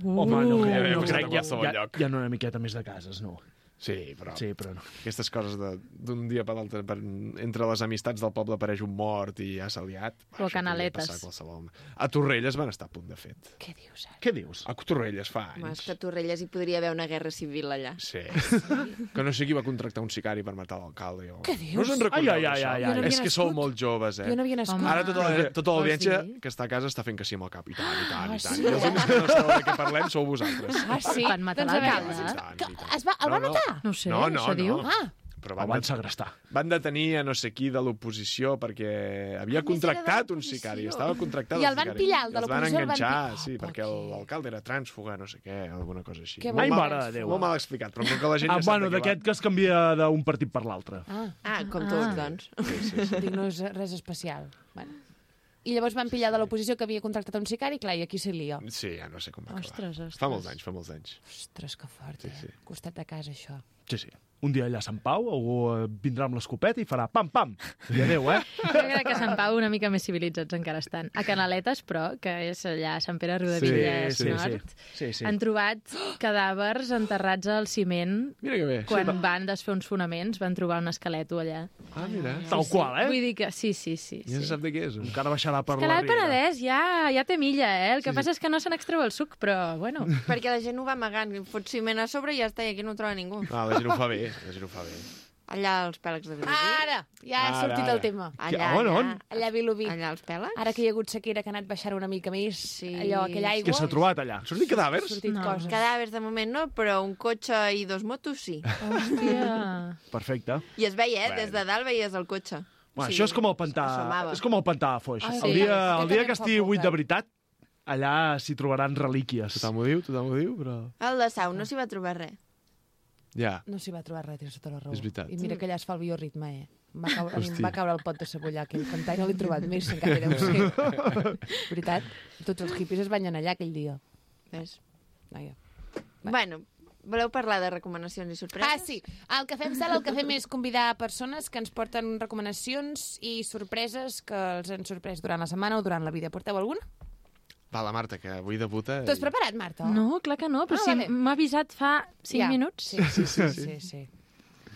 Home, no, Uh, crec, ja no hem crec, passat a ja, qualsevol ja, lloc. hi ha una miqueta més de cases, no? Sí, però Sí, però no. aquestes coses de- d'un dia per l'altre, per, entre les amistats del poble apareix un mort i ja s'ha liat. O Això podria canaletes. passar a qualsevol. A Torrelles van estar a punt de fet. Què dius, ara? Què dius? A Torrelles fa Home, és anys. que a Torrelles hi podria haver una guerra civil allà. Sí. Que no sé qui va contractar un sicari per matar l'alcalde. O... Què dius? No us en recordeu Ai, ai, ai, d'això? ai, ai. Jo no És havia que sou nascut. molt joves, eh? Jo no havia nascut. Home. Ara tota la- tota Vols l'audiència dir? que està a casa està fent que sí amb el cap. I tant, i tant, i tant. Ah, I, tant. sí, I els eh? únics que no sabeu de què parlem sou vosaltres. Ah, sí? Van matar Doncs a veure, l'alcalde, I eh? tant, Que i tant. es va, el van No, no. matar? No ho sé, No, no, això no. diu. Ah, Però El van segrestar. Van detenir a no sé qui de l'oposició perquè havia Ah, més era de contractat un l'oposició. sicari. Estava contractat I el el van sicari. pillar, el de I els van l'oposició el van enganxar, pillar. sí, Oh, perquè per què? l'alcalde era trànsfuga, no sé què, alguna cosa així. Que Molt Ai, mal- mare de Déu. Molt mal explicat, però com que la gent Ah, ja sap bueno, de què va. d'aquest que es canvia d'un partit per l'altre. ah, Ah, com Ah. tots, doncs. Sí, sí, sí. dic, no és res especial. Bueno. I llavors van pillar de l'oposició que havia contractat un sicari, clar, i aquí se lia. Sí, ja no sé com va acabar. Ostres, ostres. Fa molts anys, fa molts anys. Ostres, que fort, Sí, eh? sí. Costat de casa, això. Sí, sí. Un dia allà a Sant Pau, algú eh, vindrà amb l'escopeta i farà pam, pam. I adéu, eh? Jo crec que a Sant Pau una mica més civilitzats encara estan. A Canaletes, però, que és allà a Sant Pere Riudebitlles Sí, sí, Nord, sí. Sí, sí. han trobat cadàvers enterrats al ciment. Mira que bé. Quan Sí, van desfer uns fonaments, van trobar un esqueleto allà. Ah, mira. Tal qual, eh? Vull dir que sí, sí, sí. Ja sí. se sap de què és. Encara baixarà per Que la l'Alt riera. Penedès ja, ja té milla, eh? El que passa és que no se n'extreu el suc, però, bueno... Perquè la gent ho va amagant, fot ciment a sobre i ja està, i aquí no ho troba ningú. Ah, la gent ho fa bé, la gent ho fa bé. Allà als pèlegs de Vilobí. Ara, ja ha Ara, sortit ara. el tema. Allà, On, on? allà. Allà a Vilobí. Allà als pèlegs? Ara que hi ha hagut sequera, que ha anat baixant una mica més, Sí. allò, aquella aigua... Què s'ha trobat allà? Han sortit cadàvers? Ha sortit No. coses. Cadàvers de moment no, però un cotxe i dos motos sí. Hòstia... Perfecte. I es veia, eh? Bueno. Des de dalt veies el cotxe. Bueno, Sí, això és com el pantà, s'assomava. és com el pantà de Foix. Ai, el sí. dia, Jo el dia també que em fa estigui por, buit que- de veritat, allà s'hi trobaran relíquies. Tothom ho diu, tothom ho diu, però... Al de Sau no s'hi va trobar res. Ja. No s'hi va trobar res, tens tota la raó. És veritat. I mira que allà es fa el bioritme, eh? Em va caure, a mi em Hosti. va caure el pot de cebollà, aquell pantà, i no l'he trobat més, encara deu ser. Veritat, tots els hippies es banyen allà aquell dia. Ves? Vaja. Bueno, voleu parlar de recomanacions i sorpreses? Ah, sí. El que fem, Sal, el que fem és convidar persones que ens porten recomanacions i sorpreses que els han sorprès durant la setmana o durant la vida. Porteu alguna? Va, la Marta, que avui debuta... T'ho has preparat, Marta? No, clar que no, però Ah, si vale. m'ha avisat fa cinc Ja. minuts. Sí, sí, sí, sí, sí.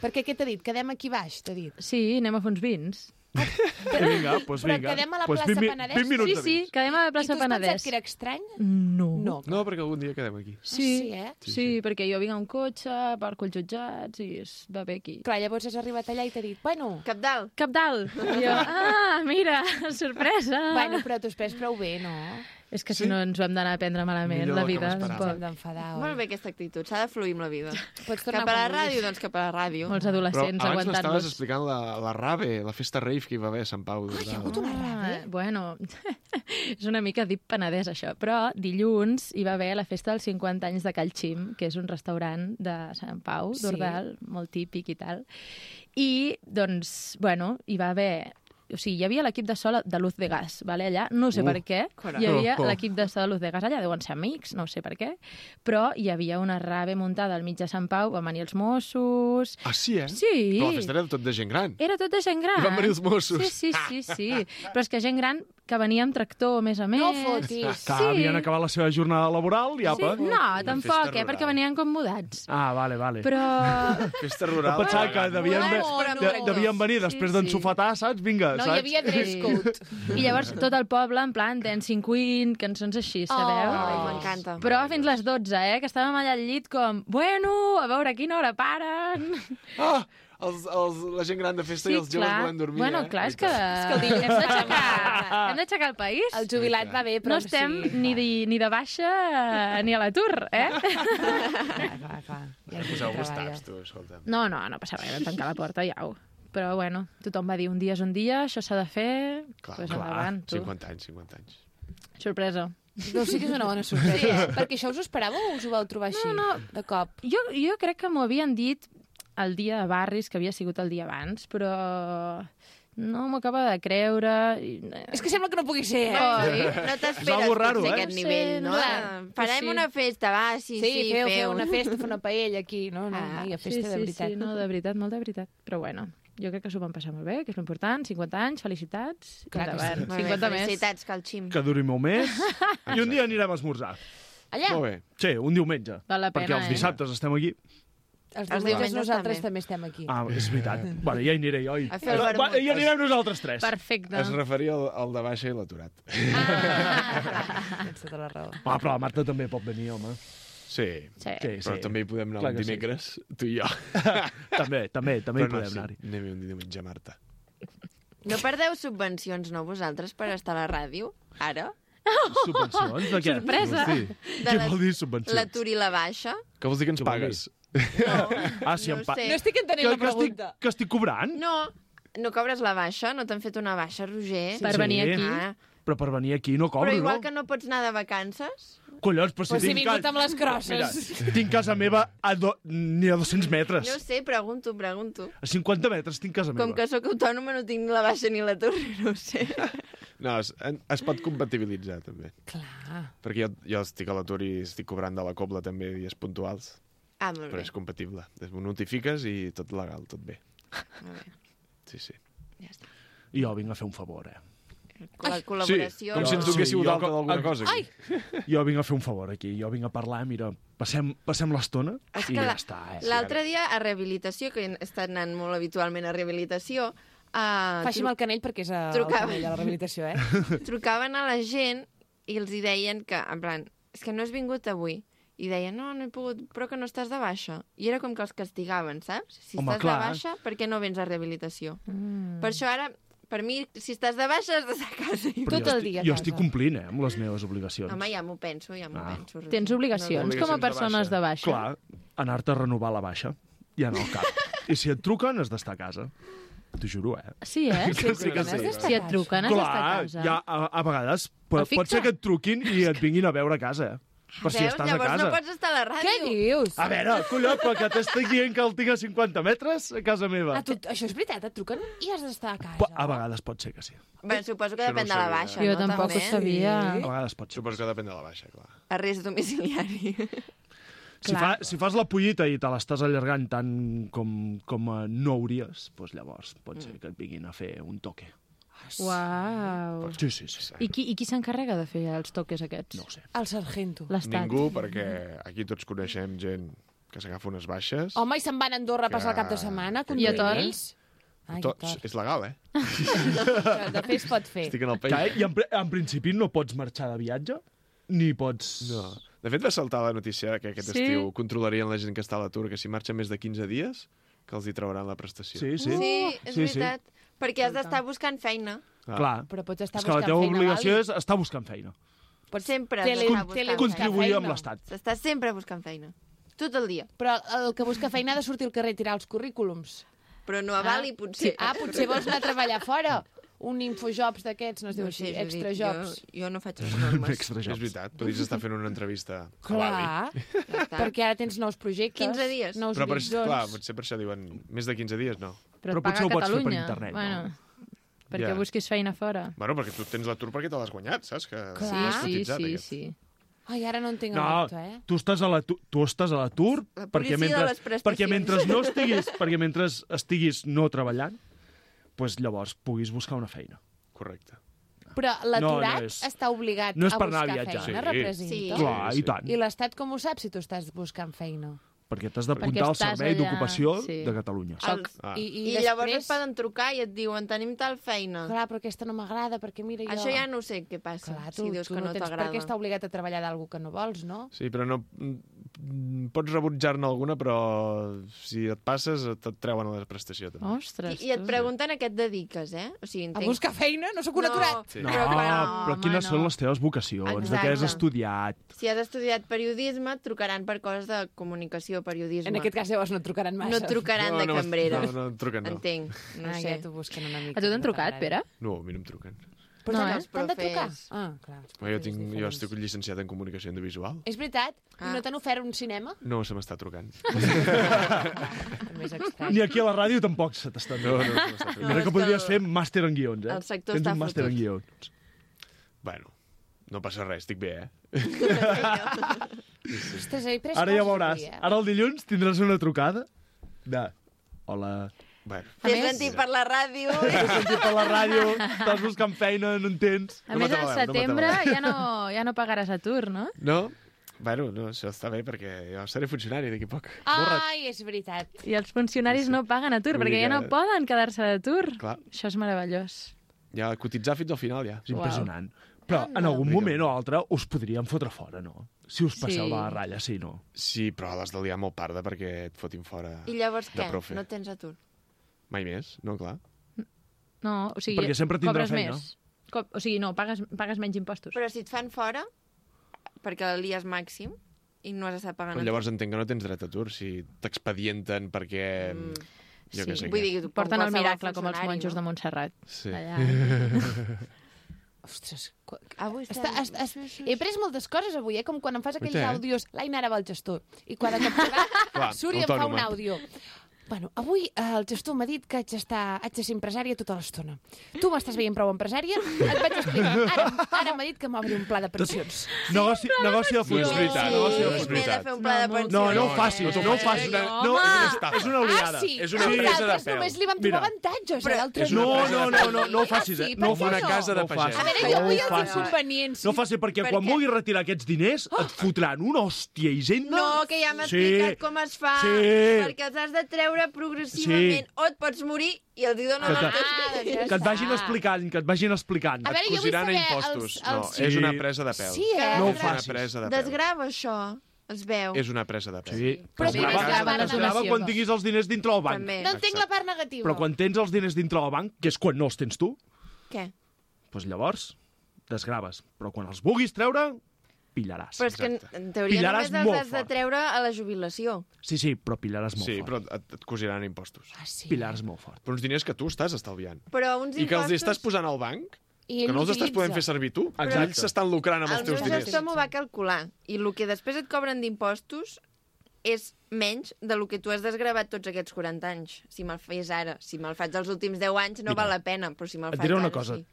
Perquè què t'ha dit? Quedem aquí baix, t'ha dit. Sí, anem a fer uns vins. Vinga, doncs Però vinga. quedem a la Pues plaça vint mi- Penedès? vint minuts Sí, de sí, vins. quedem a la I plaça tu has pensat Penedès. que era estrany? No. No. No, perquè algun dia quedem aquí. Sí, sí, eh? Sí, sí, perquè jo vinc amb cotxe, parco els jutjats i es va bé aquí. Clar, llavors has arribat allà i t'ha dit, bueno... Cap dalt. Cap dalt. I jo, ah, mira, sorpresa. Bueno, però t'ho has prou bé, no? És que si no ens ho hem d'anar a prendre malament, Millor la del que vida. m'esperava. Ens hem Tampoc. d'enfadar, oi? Molt bé aquesta actitud, s'ha de fluir amb la vida. Pots tornar Cap a la quan ràdio, vulguis. doncs cap a la ràdio. Molts Però adolescents abans m'estaves aguantant-los. explicant la, la rave, la festa rave que hi va haver a Sant Pau. Ah, hi ha d'Ordal. hagut una rave? Ah, bueno, és una mica Deep Penedès, això. Però dilluns hi va haver la festa dels cinquanta anys de Cal Xim, que és un restaurant de Sant Pau, Sí. d'Ordal, molt típic i tal. I, doncs, bueno, hi va haver... O sigui, hi havia l'equip de so de Luz de Gas, vale, allà. No sé Uh, per què. carai. Hi havia Oh, oh. l'equip de so de Luz de Gas allà, deuen ser amics, no sé per què. Però hi havia una rave muntada al mig de Sant Pau, van venir els Mossos... Ah, sí, eh? Sí. Però la festa era tot de gent gran. Era tot de gent gran. I van venir els Mossos. Sí, sí, sí, sí. Però és que gent gran que venia amb tractor, a més a més. No fotis. Que havien acabat la seva jornada laboral i Sí, apa. no, tampoc, festa eh, perquè rural. venien com mudats. Ah, vale, vale. Però... Festa Jo rural. pensava que devien, no, ve- no, de, no. devien venir després Sí, d'ensofatar, saps? Vinga, No saps? hi havia dress code. I llavors tot el poble, en plan, Dancing Queen, cançons així, sabeu? Ai, m'encanta. Però fins les dotze, eh, que estàvem allà al llit com, bueno, a veure a quina hora paren. Ah, els, els, la gent gran de festa i els joves volen dormir, Bueno, eh? clar, és que, que el hem d'aixecar hem d'aixecar el país. El jubilat va bé, però... No estem sí. ni, de, ni de baixa ni a l'atur, eh? Clar, clar, clar. Ja Poseu-vos taps, tu, escolta. No, no, no passa res, vam tancar la porta i au. Però bueno, tothom va dir un dia és un dia, això s'ha de fer, Clar, pues clar. endavant, tu. cinquanta anys, cinquanta anys. Sorpresa. No, sí que és una bona sorpresa. Sí, eh? Perquè això us ho esperàveu o us ho vau trobar així, No, de cop? Jo, jo crec que m'ho havien dit el dia de Barris, que havia sigut el dia abans, però no m'ho acaba de creure. I... És que sembla que no pugui ser, eh? Oi? No És t'esperes algo raro, potser eh? aquest Sí, nivell, no? clar, Farem sí. una festa, va, sí, sí, Sí, feu, feu. feu una festa, fer una paella aquí, no? no Ah, hi ha Sí, festa sí, de veritat. sí, no, de veritat, molt de veritat. Però bueno, jo crec que s'ho van passar molt bé, que és l'important, cinquanta anys, felicitats, Clar que endavant, sí. Molt bé, cinquanta més. felicitats, Cal Xim. Que duri molt més. I un dia anirem a esmorzar. Allà, Molt bé. Sí, un diumenge. Val la Perquè pena, els eh? dissabtes estem aquí. els Els diumenges diumenges nosaltres també. també estem aquí. Ah, és veritat. Bueno, ja hi aniré jo. I... A fer el Va, vermut. ja anirem nosaltres tres. Perfecte. Es referia al, al de baixa i l'aturat. Ah. Tens tota la raó. Ah, però la Marta també pot venir, home. Sí. Sí. Sí, Però sí. també hi podem anar Clar un que sí. dimecres, tu i jo. També, també, també hi Però no, podem sí, anar-hi. anem un diumenge, Marta. No perdeu subvencions, no, vosaltres, per estar a la ràdio, ara? Subvencions? De què? Sorpresa. Sí. De Què la- vol dir subvencions? L'atur i la baixa? Què vols dir que ens Què vol pagues? Ah, si no em pa... sé. No estic entenent que, la que, estic, pregunta. que estic cobrant? No, no cobres la baixa? No t'han fet una baixa, Roger? Per Sí. venir aquí. Ah, Però per venir aquí no cobro, però igual no? que no pots anar de vacances? Collons, però si Pues he tinc, vingut ca... amb les crosses. Mira, tinc casa meva a do... ni a dos-cents metres. No sé, pregunto, pregunto. A cinquanta metres tinc casa meva. Com que sóc autònoma no tinc ni la baixa ni l'atur, no ho sé. No, es, en- es pot compatibilitzar, també. Clar. Perquè jo, jo estic a l'atur i estic cobrant de la cobla també dies puntuals. Ah, molt Però bé. és compatible. Ho notifiques i tot legal, tot bé. Molt bé. Sí, sí. Ja està. I jo vinc a fer un favor, eh? La col·laboració... Com si ens donéssiu jo d'alta com- d'alguna cosa. Ai! Aquí. Jo vinc a fer un favor aquí, jo vinc a parlar, mira, passem, passem l'estona És i que ja la- està, eh? L'altre dia a rehabilitació, que he estat anant molt habitualment a rehabilitació, uh, Faci amb el canell perquè és el Trucava. canell a la rehabilitació, eh? trucaven a la gent i els hi deien que, en plan, és que no has vingut avui. I deien, no, no he pogut, però que no estàs de baixa. I era com que els castigaven, saps? Si Home, estàs clar. de baixa, per què no vens a rehabilitació? Mm. Per això ara, per mi, si estàs de baixa, has d'estar a casa. Però Tot jo el dia a estic, jo casa. estic complint, eh, amb les meves obligacions. Home, ja m'ho penso, ja m'ho Ah. penso. Tens obligacions Obligacions com a de persones baixa. de baixa? Clar, anar-te a renovar la baixa, ja no al cap. I si et truquen, has d'estar a casa. T'ho juro, eh? Sí, eh? Que sí, que sí. Si et truquen, has d'estar a Clar, casa. ja, a, a vegades pot, Però fixa. pot ser que et truquin i et vinguin a veure a casa, eh? Per si Veus? estàs a Llavors casa. no pots estar a la ràdio. Què dius? A veure, colló, però que t'estic dient que el tinc a cinquanta metres a casa meva. A tu, això és veritat, et truquen i has d'estar a casa. Po- A vegades pot ser que sí. Bé, suposo que Això no depèn ho de la sabia. baixa, Jo no? tampoc També. ho sabia. A vegades pot ser. Suposo que depèn de la baixa, clar. Arrest domiciliari. Si, fa, si fas la pollita i te l'estàs allargant tant com, com eh, no hauries, doncs llavors pot ser que et vinguin a fer un toque. Uau. Sí, sí, sí. sí. I qui, i qui s'encarrega de fer els toques aquests? No ho sé. El sargento. L'Estat. Ningú, perquè aquí tots coneixem gent que s'agafa unes baixes. Home, i se'n van a Andorra a passar el cap de setmana, conduint I a Tor? ells. Ai, Tots, Tor. és legal, eh? De fer es pot fer. Estic en el Que, país. I en, pri- en principi no pots marxar de viatge, ni pots... No. De fet, va saltar la notícia que aquest Sí. estiu controlarien la gent que està a l'atur, que si marxa més de quinze dies, que els hi trauran la prestació. Sí, sí. Sí, és Sí, sí. veritat. Perquè has d'estar buscant feina. Ah. Clar. Però pots estar És que la buscant teva feina, obligació Gali. és estar buscant feina. Pots Sempre tele- has d'estar buscant tele- feina. Contribuir amb feina. l'Estat. S'està sempre buscant feina. Tot el dia. Però el que busca feina ha de sortir al carrer i tirar els currículums. Però no a Bali, potser. Ah, potser vols anar a treballar fora. Un infojobs d'aquests, no es diu No així, sé, Judit, extra jobs. Jo, jo no faig les normes. Extra És jobs. veritat, podries estar fent una entrevista a Bali. Clar, Ja està. perquè ara tens nous projectes. quinze dies. Nous Però per, horitzons. clar, potser per això diuen més de quinze dies, no. Però, Però et paga potser ho pots fer per Catalunya. internet, no? Bueno, perquè Ja. busquis feina fora. Bueno, perquè tu tens l'atur perquè te l'has guanyat, saps? Que Clar. l'has Sí, cotitzat, sí, aquest. sí. Ai, ara no entenc el No, dubte, eh? tu estàs a l'atur, tu estàs a l'atur La perquè policia de mentre, les prestacions. perquè mentre no estiguis, perquè mentre estiguis no treballant, pues llavors puguis buscar una feina. Correcte. Però l'aturat No, no és- està obligat no és a per anar a buscar viatjar. feina, Sí. representa. Sí. Clar, sí. i tant. I l'Estat com ho sap si tu estàs buscant feina? Perquè t'has Perquè d'apuntar al estàs Servei allà, d'Ocupació sí. de Catalunya. Els- Ah. I, I, i, I llavors et després... poden trucar i et diuen tenim tal feina. Clar, però aquesta no m'agrada, perquè mira jo... Això ja no sé què passa, Clar, tu, si dius tu que no, tens per t'agrada. què estar obligat a treballar d'algú que no vols, no? Sí, però no... mm, Pots rebutjar-ne alguna, però si et passes et et treuen a la prestació, també. Ostres, I, I et tu. pregunten a què et dediques, eh? O sigui, A entenc... buscar feina? No sóc un aturat? Sí. No, Però, però, quan- però quines home, són no. les teves vocacions? De què has Exacte. estudiat? Si has estudiat periodisme, et trucaran per coses de comunicació, periodisme. En aquest cas llavors no et trucaran massa. No et trucaran de cambrera. No, no, em truquen, no. Entenc, no ah, sé. ja t'ho busquen una mica. A tu t'han no trucat, t'agrada. Pere? No, a mi no em truquen. Però No, t'han- eh? t'han de trucar? Profes. Ah, clar. Però jo, tinc, és jo diferent. estic llicenciat en comunicació audiovisual. És veritat? I Ah. no t'han ofert un cinema? No se m'està trucant. També és estrany. Ni aquí a la ràdio tampoc se t'està No, no, dient. no se m'està trucant. Mira és que podries que fer màster en guions, eh? el sector Tens està un màster en fotut. guions. Bueno, no passa res, estic bé, eh? Ostres, he pres Ara ja coses veuràs. avui, eh? Ara el dilluns tindràs una trucada de... Hola, Bueno, T'he més- sentit per la ràdio. t'he sentit per la ràdio, estàs buscant feina, no en tens. A No més, al m'atabaleu, no setembre m'atabaleu. ja, no, ja no pagaràs atur, no? no? Bueno, no, això està bé perquè jo seré funcionari d'aquí a poc. Ai, és veritat. I els funcionaris no paguen atur, Vull perquè dir ja no que- poden quedar-se d'atur. Clar, Això és meravellós. ja cotitzar fins al final, ja. És impressionant. Però en algun moment o altre us podríem fotre fora, no? Si us passeu Sí. de la ratlla, sí, no? Sí, però l'has de liar molt parda perquè et fotin fora I llavors de què? profe. No tens atur? Mai més, no, clar. No, o sigui, Perquè sempre tindrà cobres feina. més. Co o sigui, no, pagues, pagues menys impostos. Però si et fan fora, perquè el lies màxim, i no has d'estar pagant Però atur. llavors entenc que no tens dret a atur si t'expedienten perquè... Mm. Jo Sí. què sé Vull què. dir, com Porten el qualsevol miracle, com els funcionari, monjos de no? Montserrat. Sí. Allà. Ostres, qu- Avui estem... Està, està, està, he pres moltes coses avui, eh? Com quan em fas aquells Ui, té, eh? àudios. L'Aina ara va al gestor. I quan de cop que va, Clar, surt i em fa un autònoma. àudio. Bueno, avui eh, el gestor m'ha dit que haig, d'estar, haig de ser empresària tota l'estona. Tu m'estàs veient prou empresària? Et vaig explicar. Ara, ara m'ha dit que m'obri un pla de pensions. Negoci, negoci de futur. No és veritat. Sí. Negoci de M'he futur. de fer un pla de pensions. No, no ho facis, no ho facis. No, és una oliada. Ah, sí? És una Els empresa de altres pèl. només li van trobar Mira. avantatges. Però- l'altre És una No, empresa no, de no, pèl. no, no ho facis, Ah, eh? sí? No ho Per què facis. Una casa de No ho facis. A veure, pagès. jo No vull ho els facis. inconvenients. No ho facis perquè Per quan què? vulguis retirar aquests diners et fotran una hòstia hisenda. No, que ja m'ha Sí. explicat com es fa. Sí. Perquè els has de treure progressivament. Sí. O et pots morir i els hi donen Que el te- teu Ah, doncs ja Que et vagin està. explicant, que et vagin explicant. A veure, jo vull Cosiran a saber impostos. els- No, els- és una Sí. presa de pèl. Sí, eh? No ho És una facis. presa de pèl. Desgrava això. Es veu. És una presa de pèl. Sí. Però Es quina és grava- la part es grava negativa? quan tinguis els diners dintre del banc. També. No entenc la part negativa. Però quan tens els diners dintre del banc, que és quan no els tens tu, Què? doncs llavors desgraves. Però quan els vulguis treure, pillaràs. Però és que en, Exacte. en teoria Pillaràs només els molt has de fort. treure a la jubilació. Sí, sí, però pillaràs molt Sí, fort. però et, et cosiran impostos. Ah, sí. Pillaràs molt fort. Però uns diners que tu estàs estalviant. Però uns I que els hi impostos... estàs posant al banc, I que no els estàs utilitza. podent fer servir tu. Exacte. Ells s'estan lucrant amb els El teus meu diners. gestor m'ho va calcular. I el que després et cobren d'impostos és menys del que tu has desgravat tots aquests quaranta anys. Si me'l fes ara. Si me'l faig els últims deu anys no Mira, val la pena, però si me'l Et faig diré una ara cosa. sí.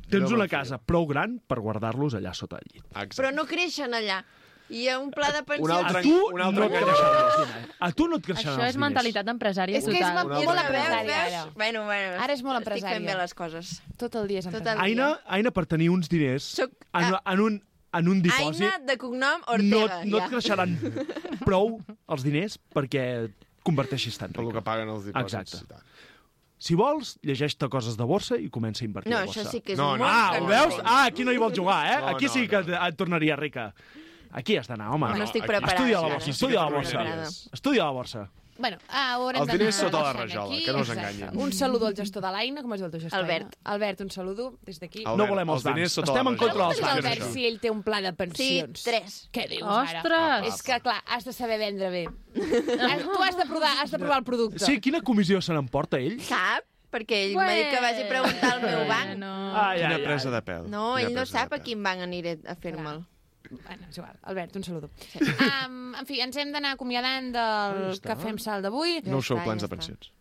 Tens No una me'n casa prou gran per guardar-los allà sota el llit. Exacte. Però no creixen allà. I hi ha un pla de pensions... Un altre- A tu un altre no et engany. creixeran els diners. A tu no et creixeran Això els és diners. mentalitat empresària És que és total. molt És una empresària, veus, ara. veus? Bueno, bueno. Ara és molt Estic fent empresària. bé les coses. Tot el dia és Tot el empresària. dia. Aina, Aina, per tenir uns diners Soc, en, ah, en, un, en un dipòsit, Aina de cognom no, Ortega. no ja. et creixeran prou els diners perquè et converteixis tan Per el que ric. paguen els dipòsits. Exacte. i tal. Si vols, llegeix-te coses de borsa i comença a invertir No, a borsa. això sí que és No, un no. món Ah, que ho no veus? entenc. Ah, aquí no hi vols jugar, eh? No, Aquí no, sí que no. et, et tornaria rica. Aquí has d'anar, home. No estic aquí- preparada. Estudia la encara. borsa, sí que estudia la t'arruïnaries. borsa. Estudia la borsa. Bueno, ah, haurem Els d'anar diners sota la deixant rajola, aquí. que no us Exacte. enganyin. Un saludo al gestor de l'Aina, com es diu el teu gestor? Albert. Aina? Albert, un saludo des d'aquí. Albert, No volem els els diners bancs. sota Estem la en contra rajola. dels Pregunta'ls bancs. a Albert si ell té un pla de Sí, pensions. tres. Què dius ara? Ostres! És que, clar, has de saber vendre bé. Has- tu has de provar, has de provar el producte. Sí, quina comissió se n'emporta ell? Sap? Perquè ell m'ha dit que vagi a preguntar al meu banc. No. Ai, Quina ai, presa ai. de pèl. No, Quina ell no presa sap de a pèl. quin banc aniré a fer-me'l. Bueno, és igual. Albert, un saludo. Um, en fi, ens hem d'anar acomiadant del està. Cafè amb Sal d'avui. No us feu està, plans ja de està. pensions.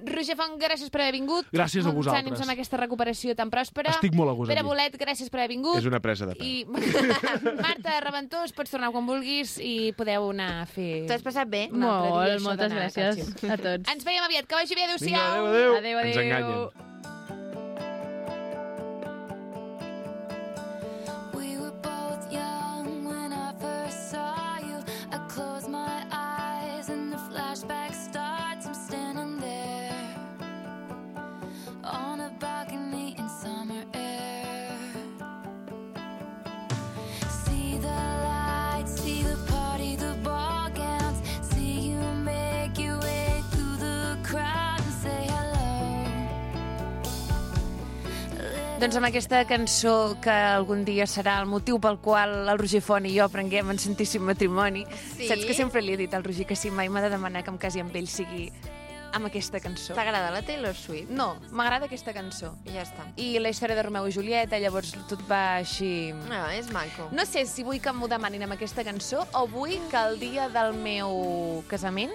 Roger Font, gràcies per haver vingut. Gràcies a Molts vosaltres. ànims amb aquesta recuperació tan pròspera. Estic molt a gust Pere aquí. Bolet, gràcies per haver vingut. És una presa de pèl. I Marta Reventós, pots tornar quan vulguis i podeu anar a fer... T'ho has passat bé? un altre dia Molt, això moltes d'anar a gràcies Càlcio. a tots. Ens veiem aviat. Que vagi bé. Vinga, Adéu-siau. adéu, adéu. Adéu, Ens adéu. enganyen. We were both young when I first saw you. I close my eyes and the flashback starts. I'm standing there on a balcony in summer air. See the lights, see the party, the ball gowns. See you make your way through the crowd and say hello. Doncs amb aquesta cançó que algun dia serà el motiu pel qual el Roger Font i jo prenguem en santíssim matrimoni. Sí? Saps que sempre li he dit al Roger que si mai m'ha de demanar que em casi amb ell sigui amb aquesta cançó. T'agrada la Taylor Swift? No, m'agrada aquesta cançó. I ja està. I la història de Romeu i Julieta, llavors tot va així... No, és maco. No sé si vull que m'ho demanin amb aquesta cançó o vull que el dia del meu casament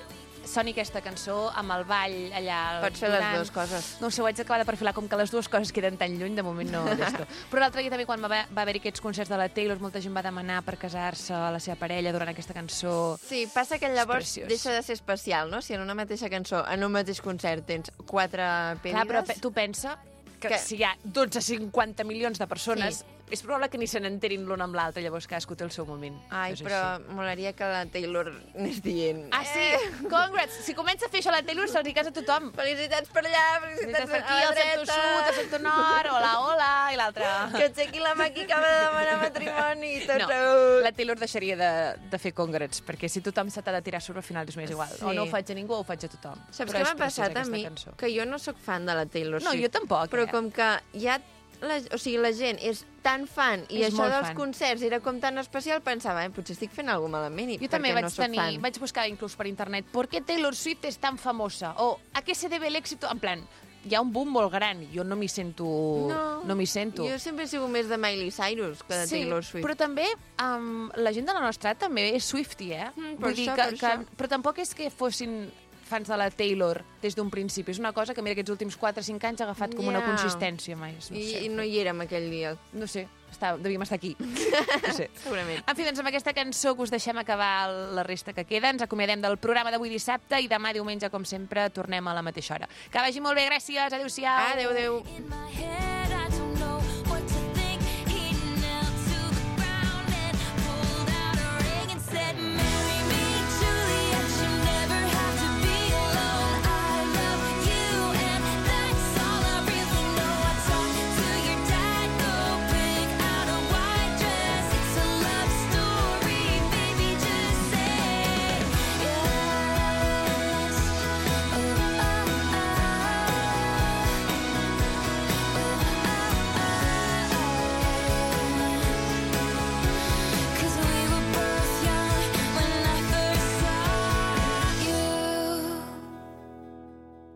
soni aquesta cançó amb el ball allà... Pots fer les donant. dues coses. No ho sé, ho haig d'acabar de perfilar, com que les dues coses queden tan lluny, de moment no d'esto. Però l'altre dia també, quan va, va haver-hi aquests concerts de la Taylor, molta gent va demanar per casar-se a la seva parella durant aquesta cançó. Sí, passa que llavors preciós. deixa de ser especial, no? Si en una mateixa cançó, en un mateix concert, tens quatre pedides... Clar, però pe- tu pensa que, Que- si hi ha dotze cinquanta milions de persones, sí. és probable que ni se n'enterin l'un amb l'altre, llavors cadascú té el seu moment. Ai, És però així. molaria que la Taylor anés dient... Ah, sí? Congrats! Si comença a fer això la Taylor, se'ls hi casa a tothom. Felicitats per allà, felicitats Per per aquí, a la el sector dreta. sud, el sector nord, hola, hola, i l'altre... Que aixequi la mà qui acaba de demanar matrimoni i tot No, segut. la Taylor deixaria de, de fer congrats, perquè si tothom se t'ha de tirar sobre, al final és més igual. Sí. O no ho faig a ningú o ho faig a tothom. Saps Però què és m'ha passat preciosa a mi? aquesta cançó. Que jo no sóc fan de la Taylor No, Swift. jo tampoc, Però eh? com que ja... La, o sigui, la gent és tan fan i És això molt dels fan. concerts era com tan especial, pensava, eh, potser estic fent alguna cosa malament i Jo també perquè vaig no soc tenir, fan. vaig buscar inclús per internet ¿por qué Taylor Swift es tan famosa? O ¿a qué se debe el éxito? En plan, hi ha un boom molt gran, jo no m'hi sento... No, no m'hi sento. Jo sempre he sigut més de Miley Cyrus que de Sí, Taylor Swift. però també um, la gent de la nostra edat també és Swiftie, eh? Mm, per Vull dir això, que, per que, això. però tampoc és que fossin fans de la Taylor des d'un principi. És una cosa que, mira, aquests últims quatre o cinc anys ha agafat com una Ja. consistència més. No I, sé, I no hi érem aquell dia. No sé, està, devíem estar aquí. No sé. Segurament. En fi, doncs amb aquesta cançó que us deixem acabar la resta que queda. Ens acomiadem del programa d'avui dissabte i demà diumenge, com sempre, tornem a la mateixa hora. Que vagi molt bé, gràcies, adéu-siau. Adéu, adéu. In my head.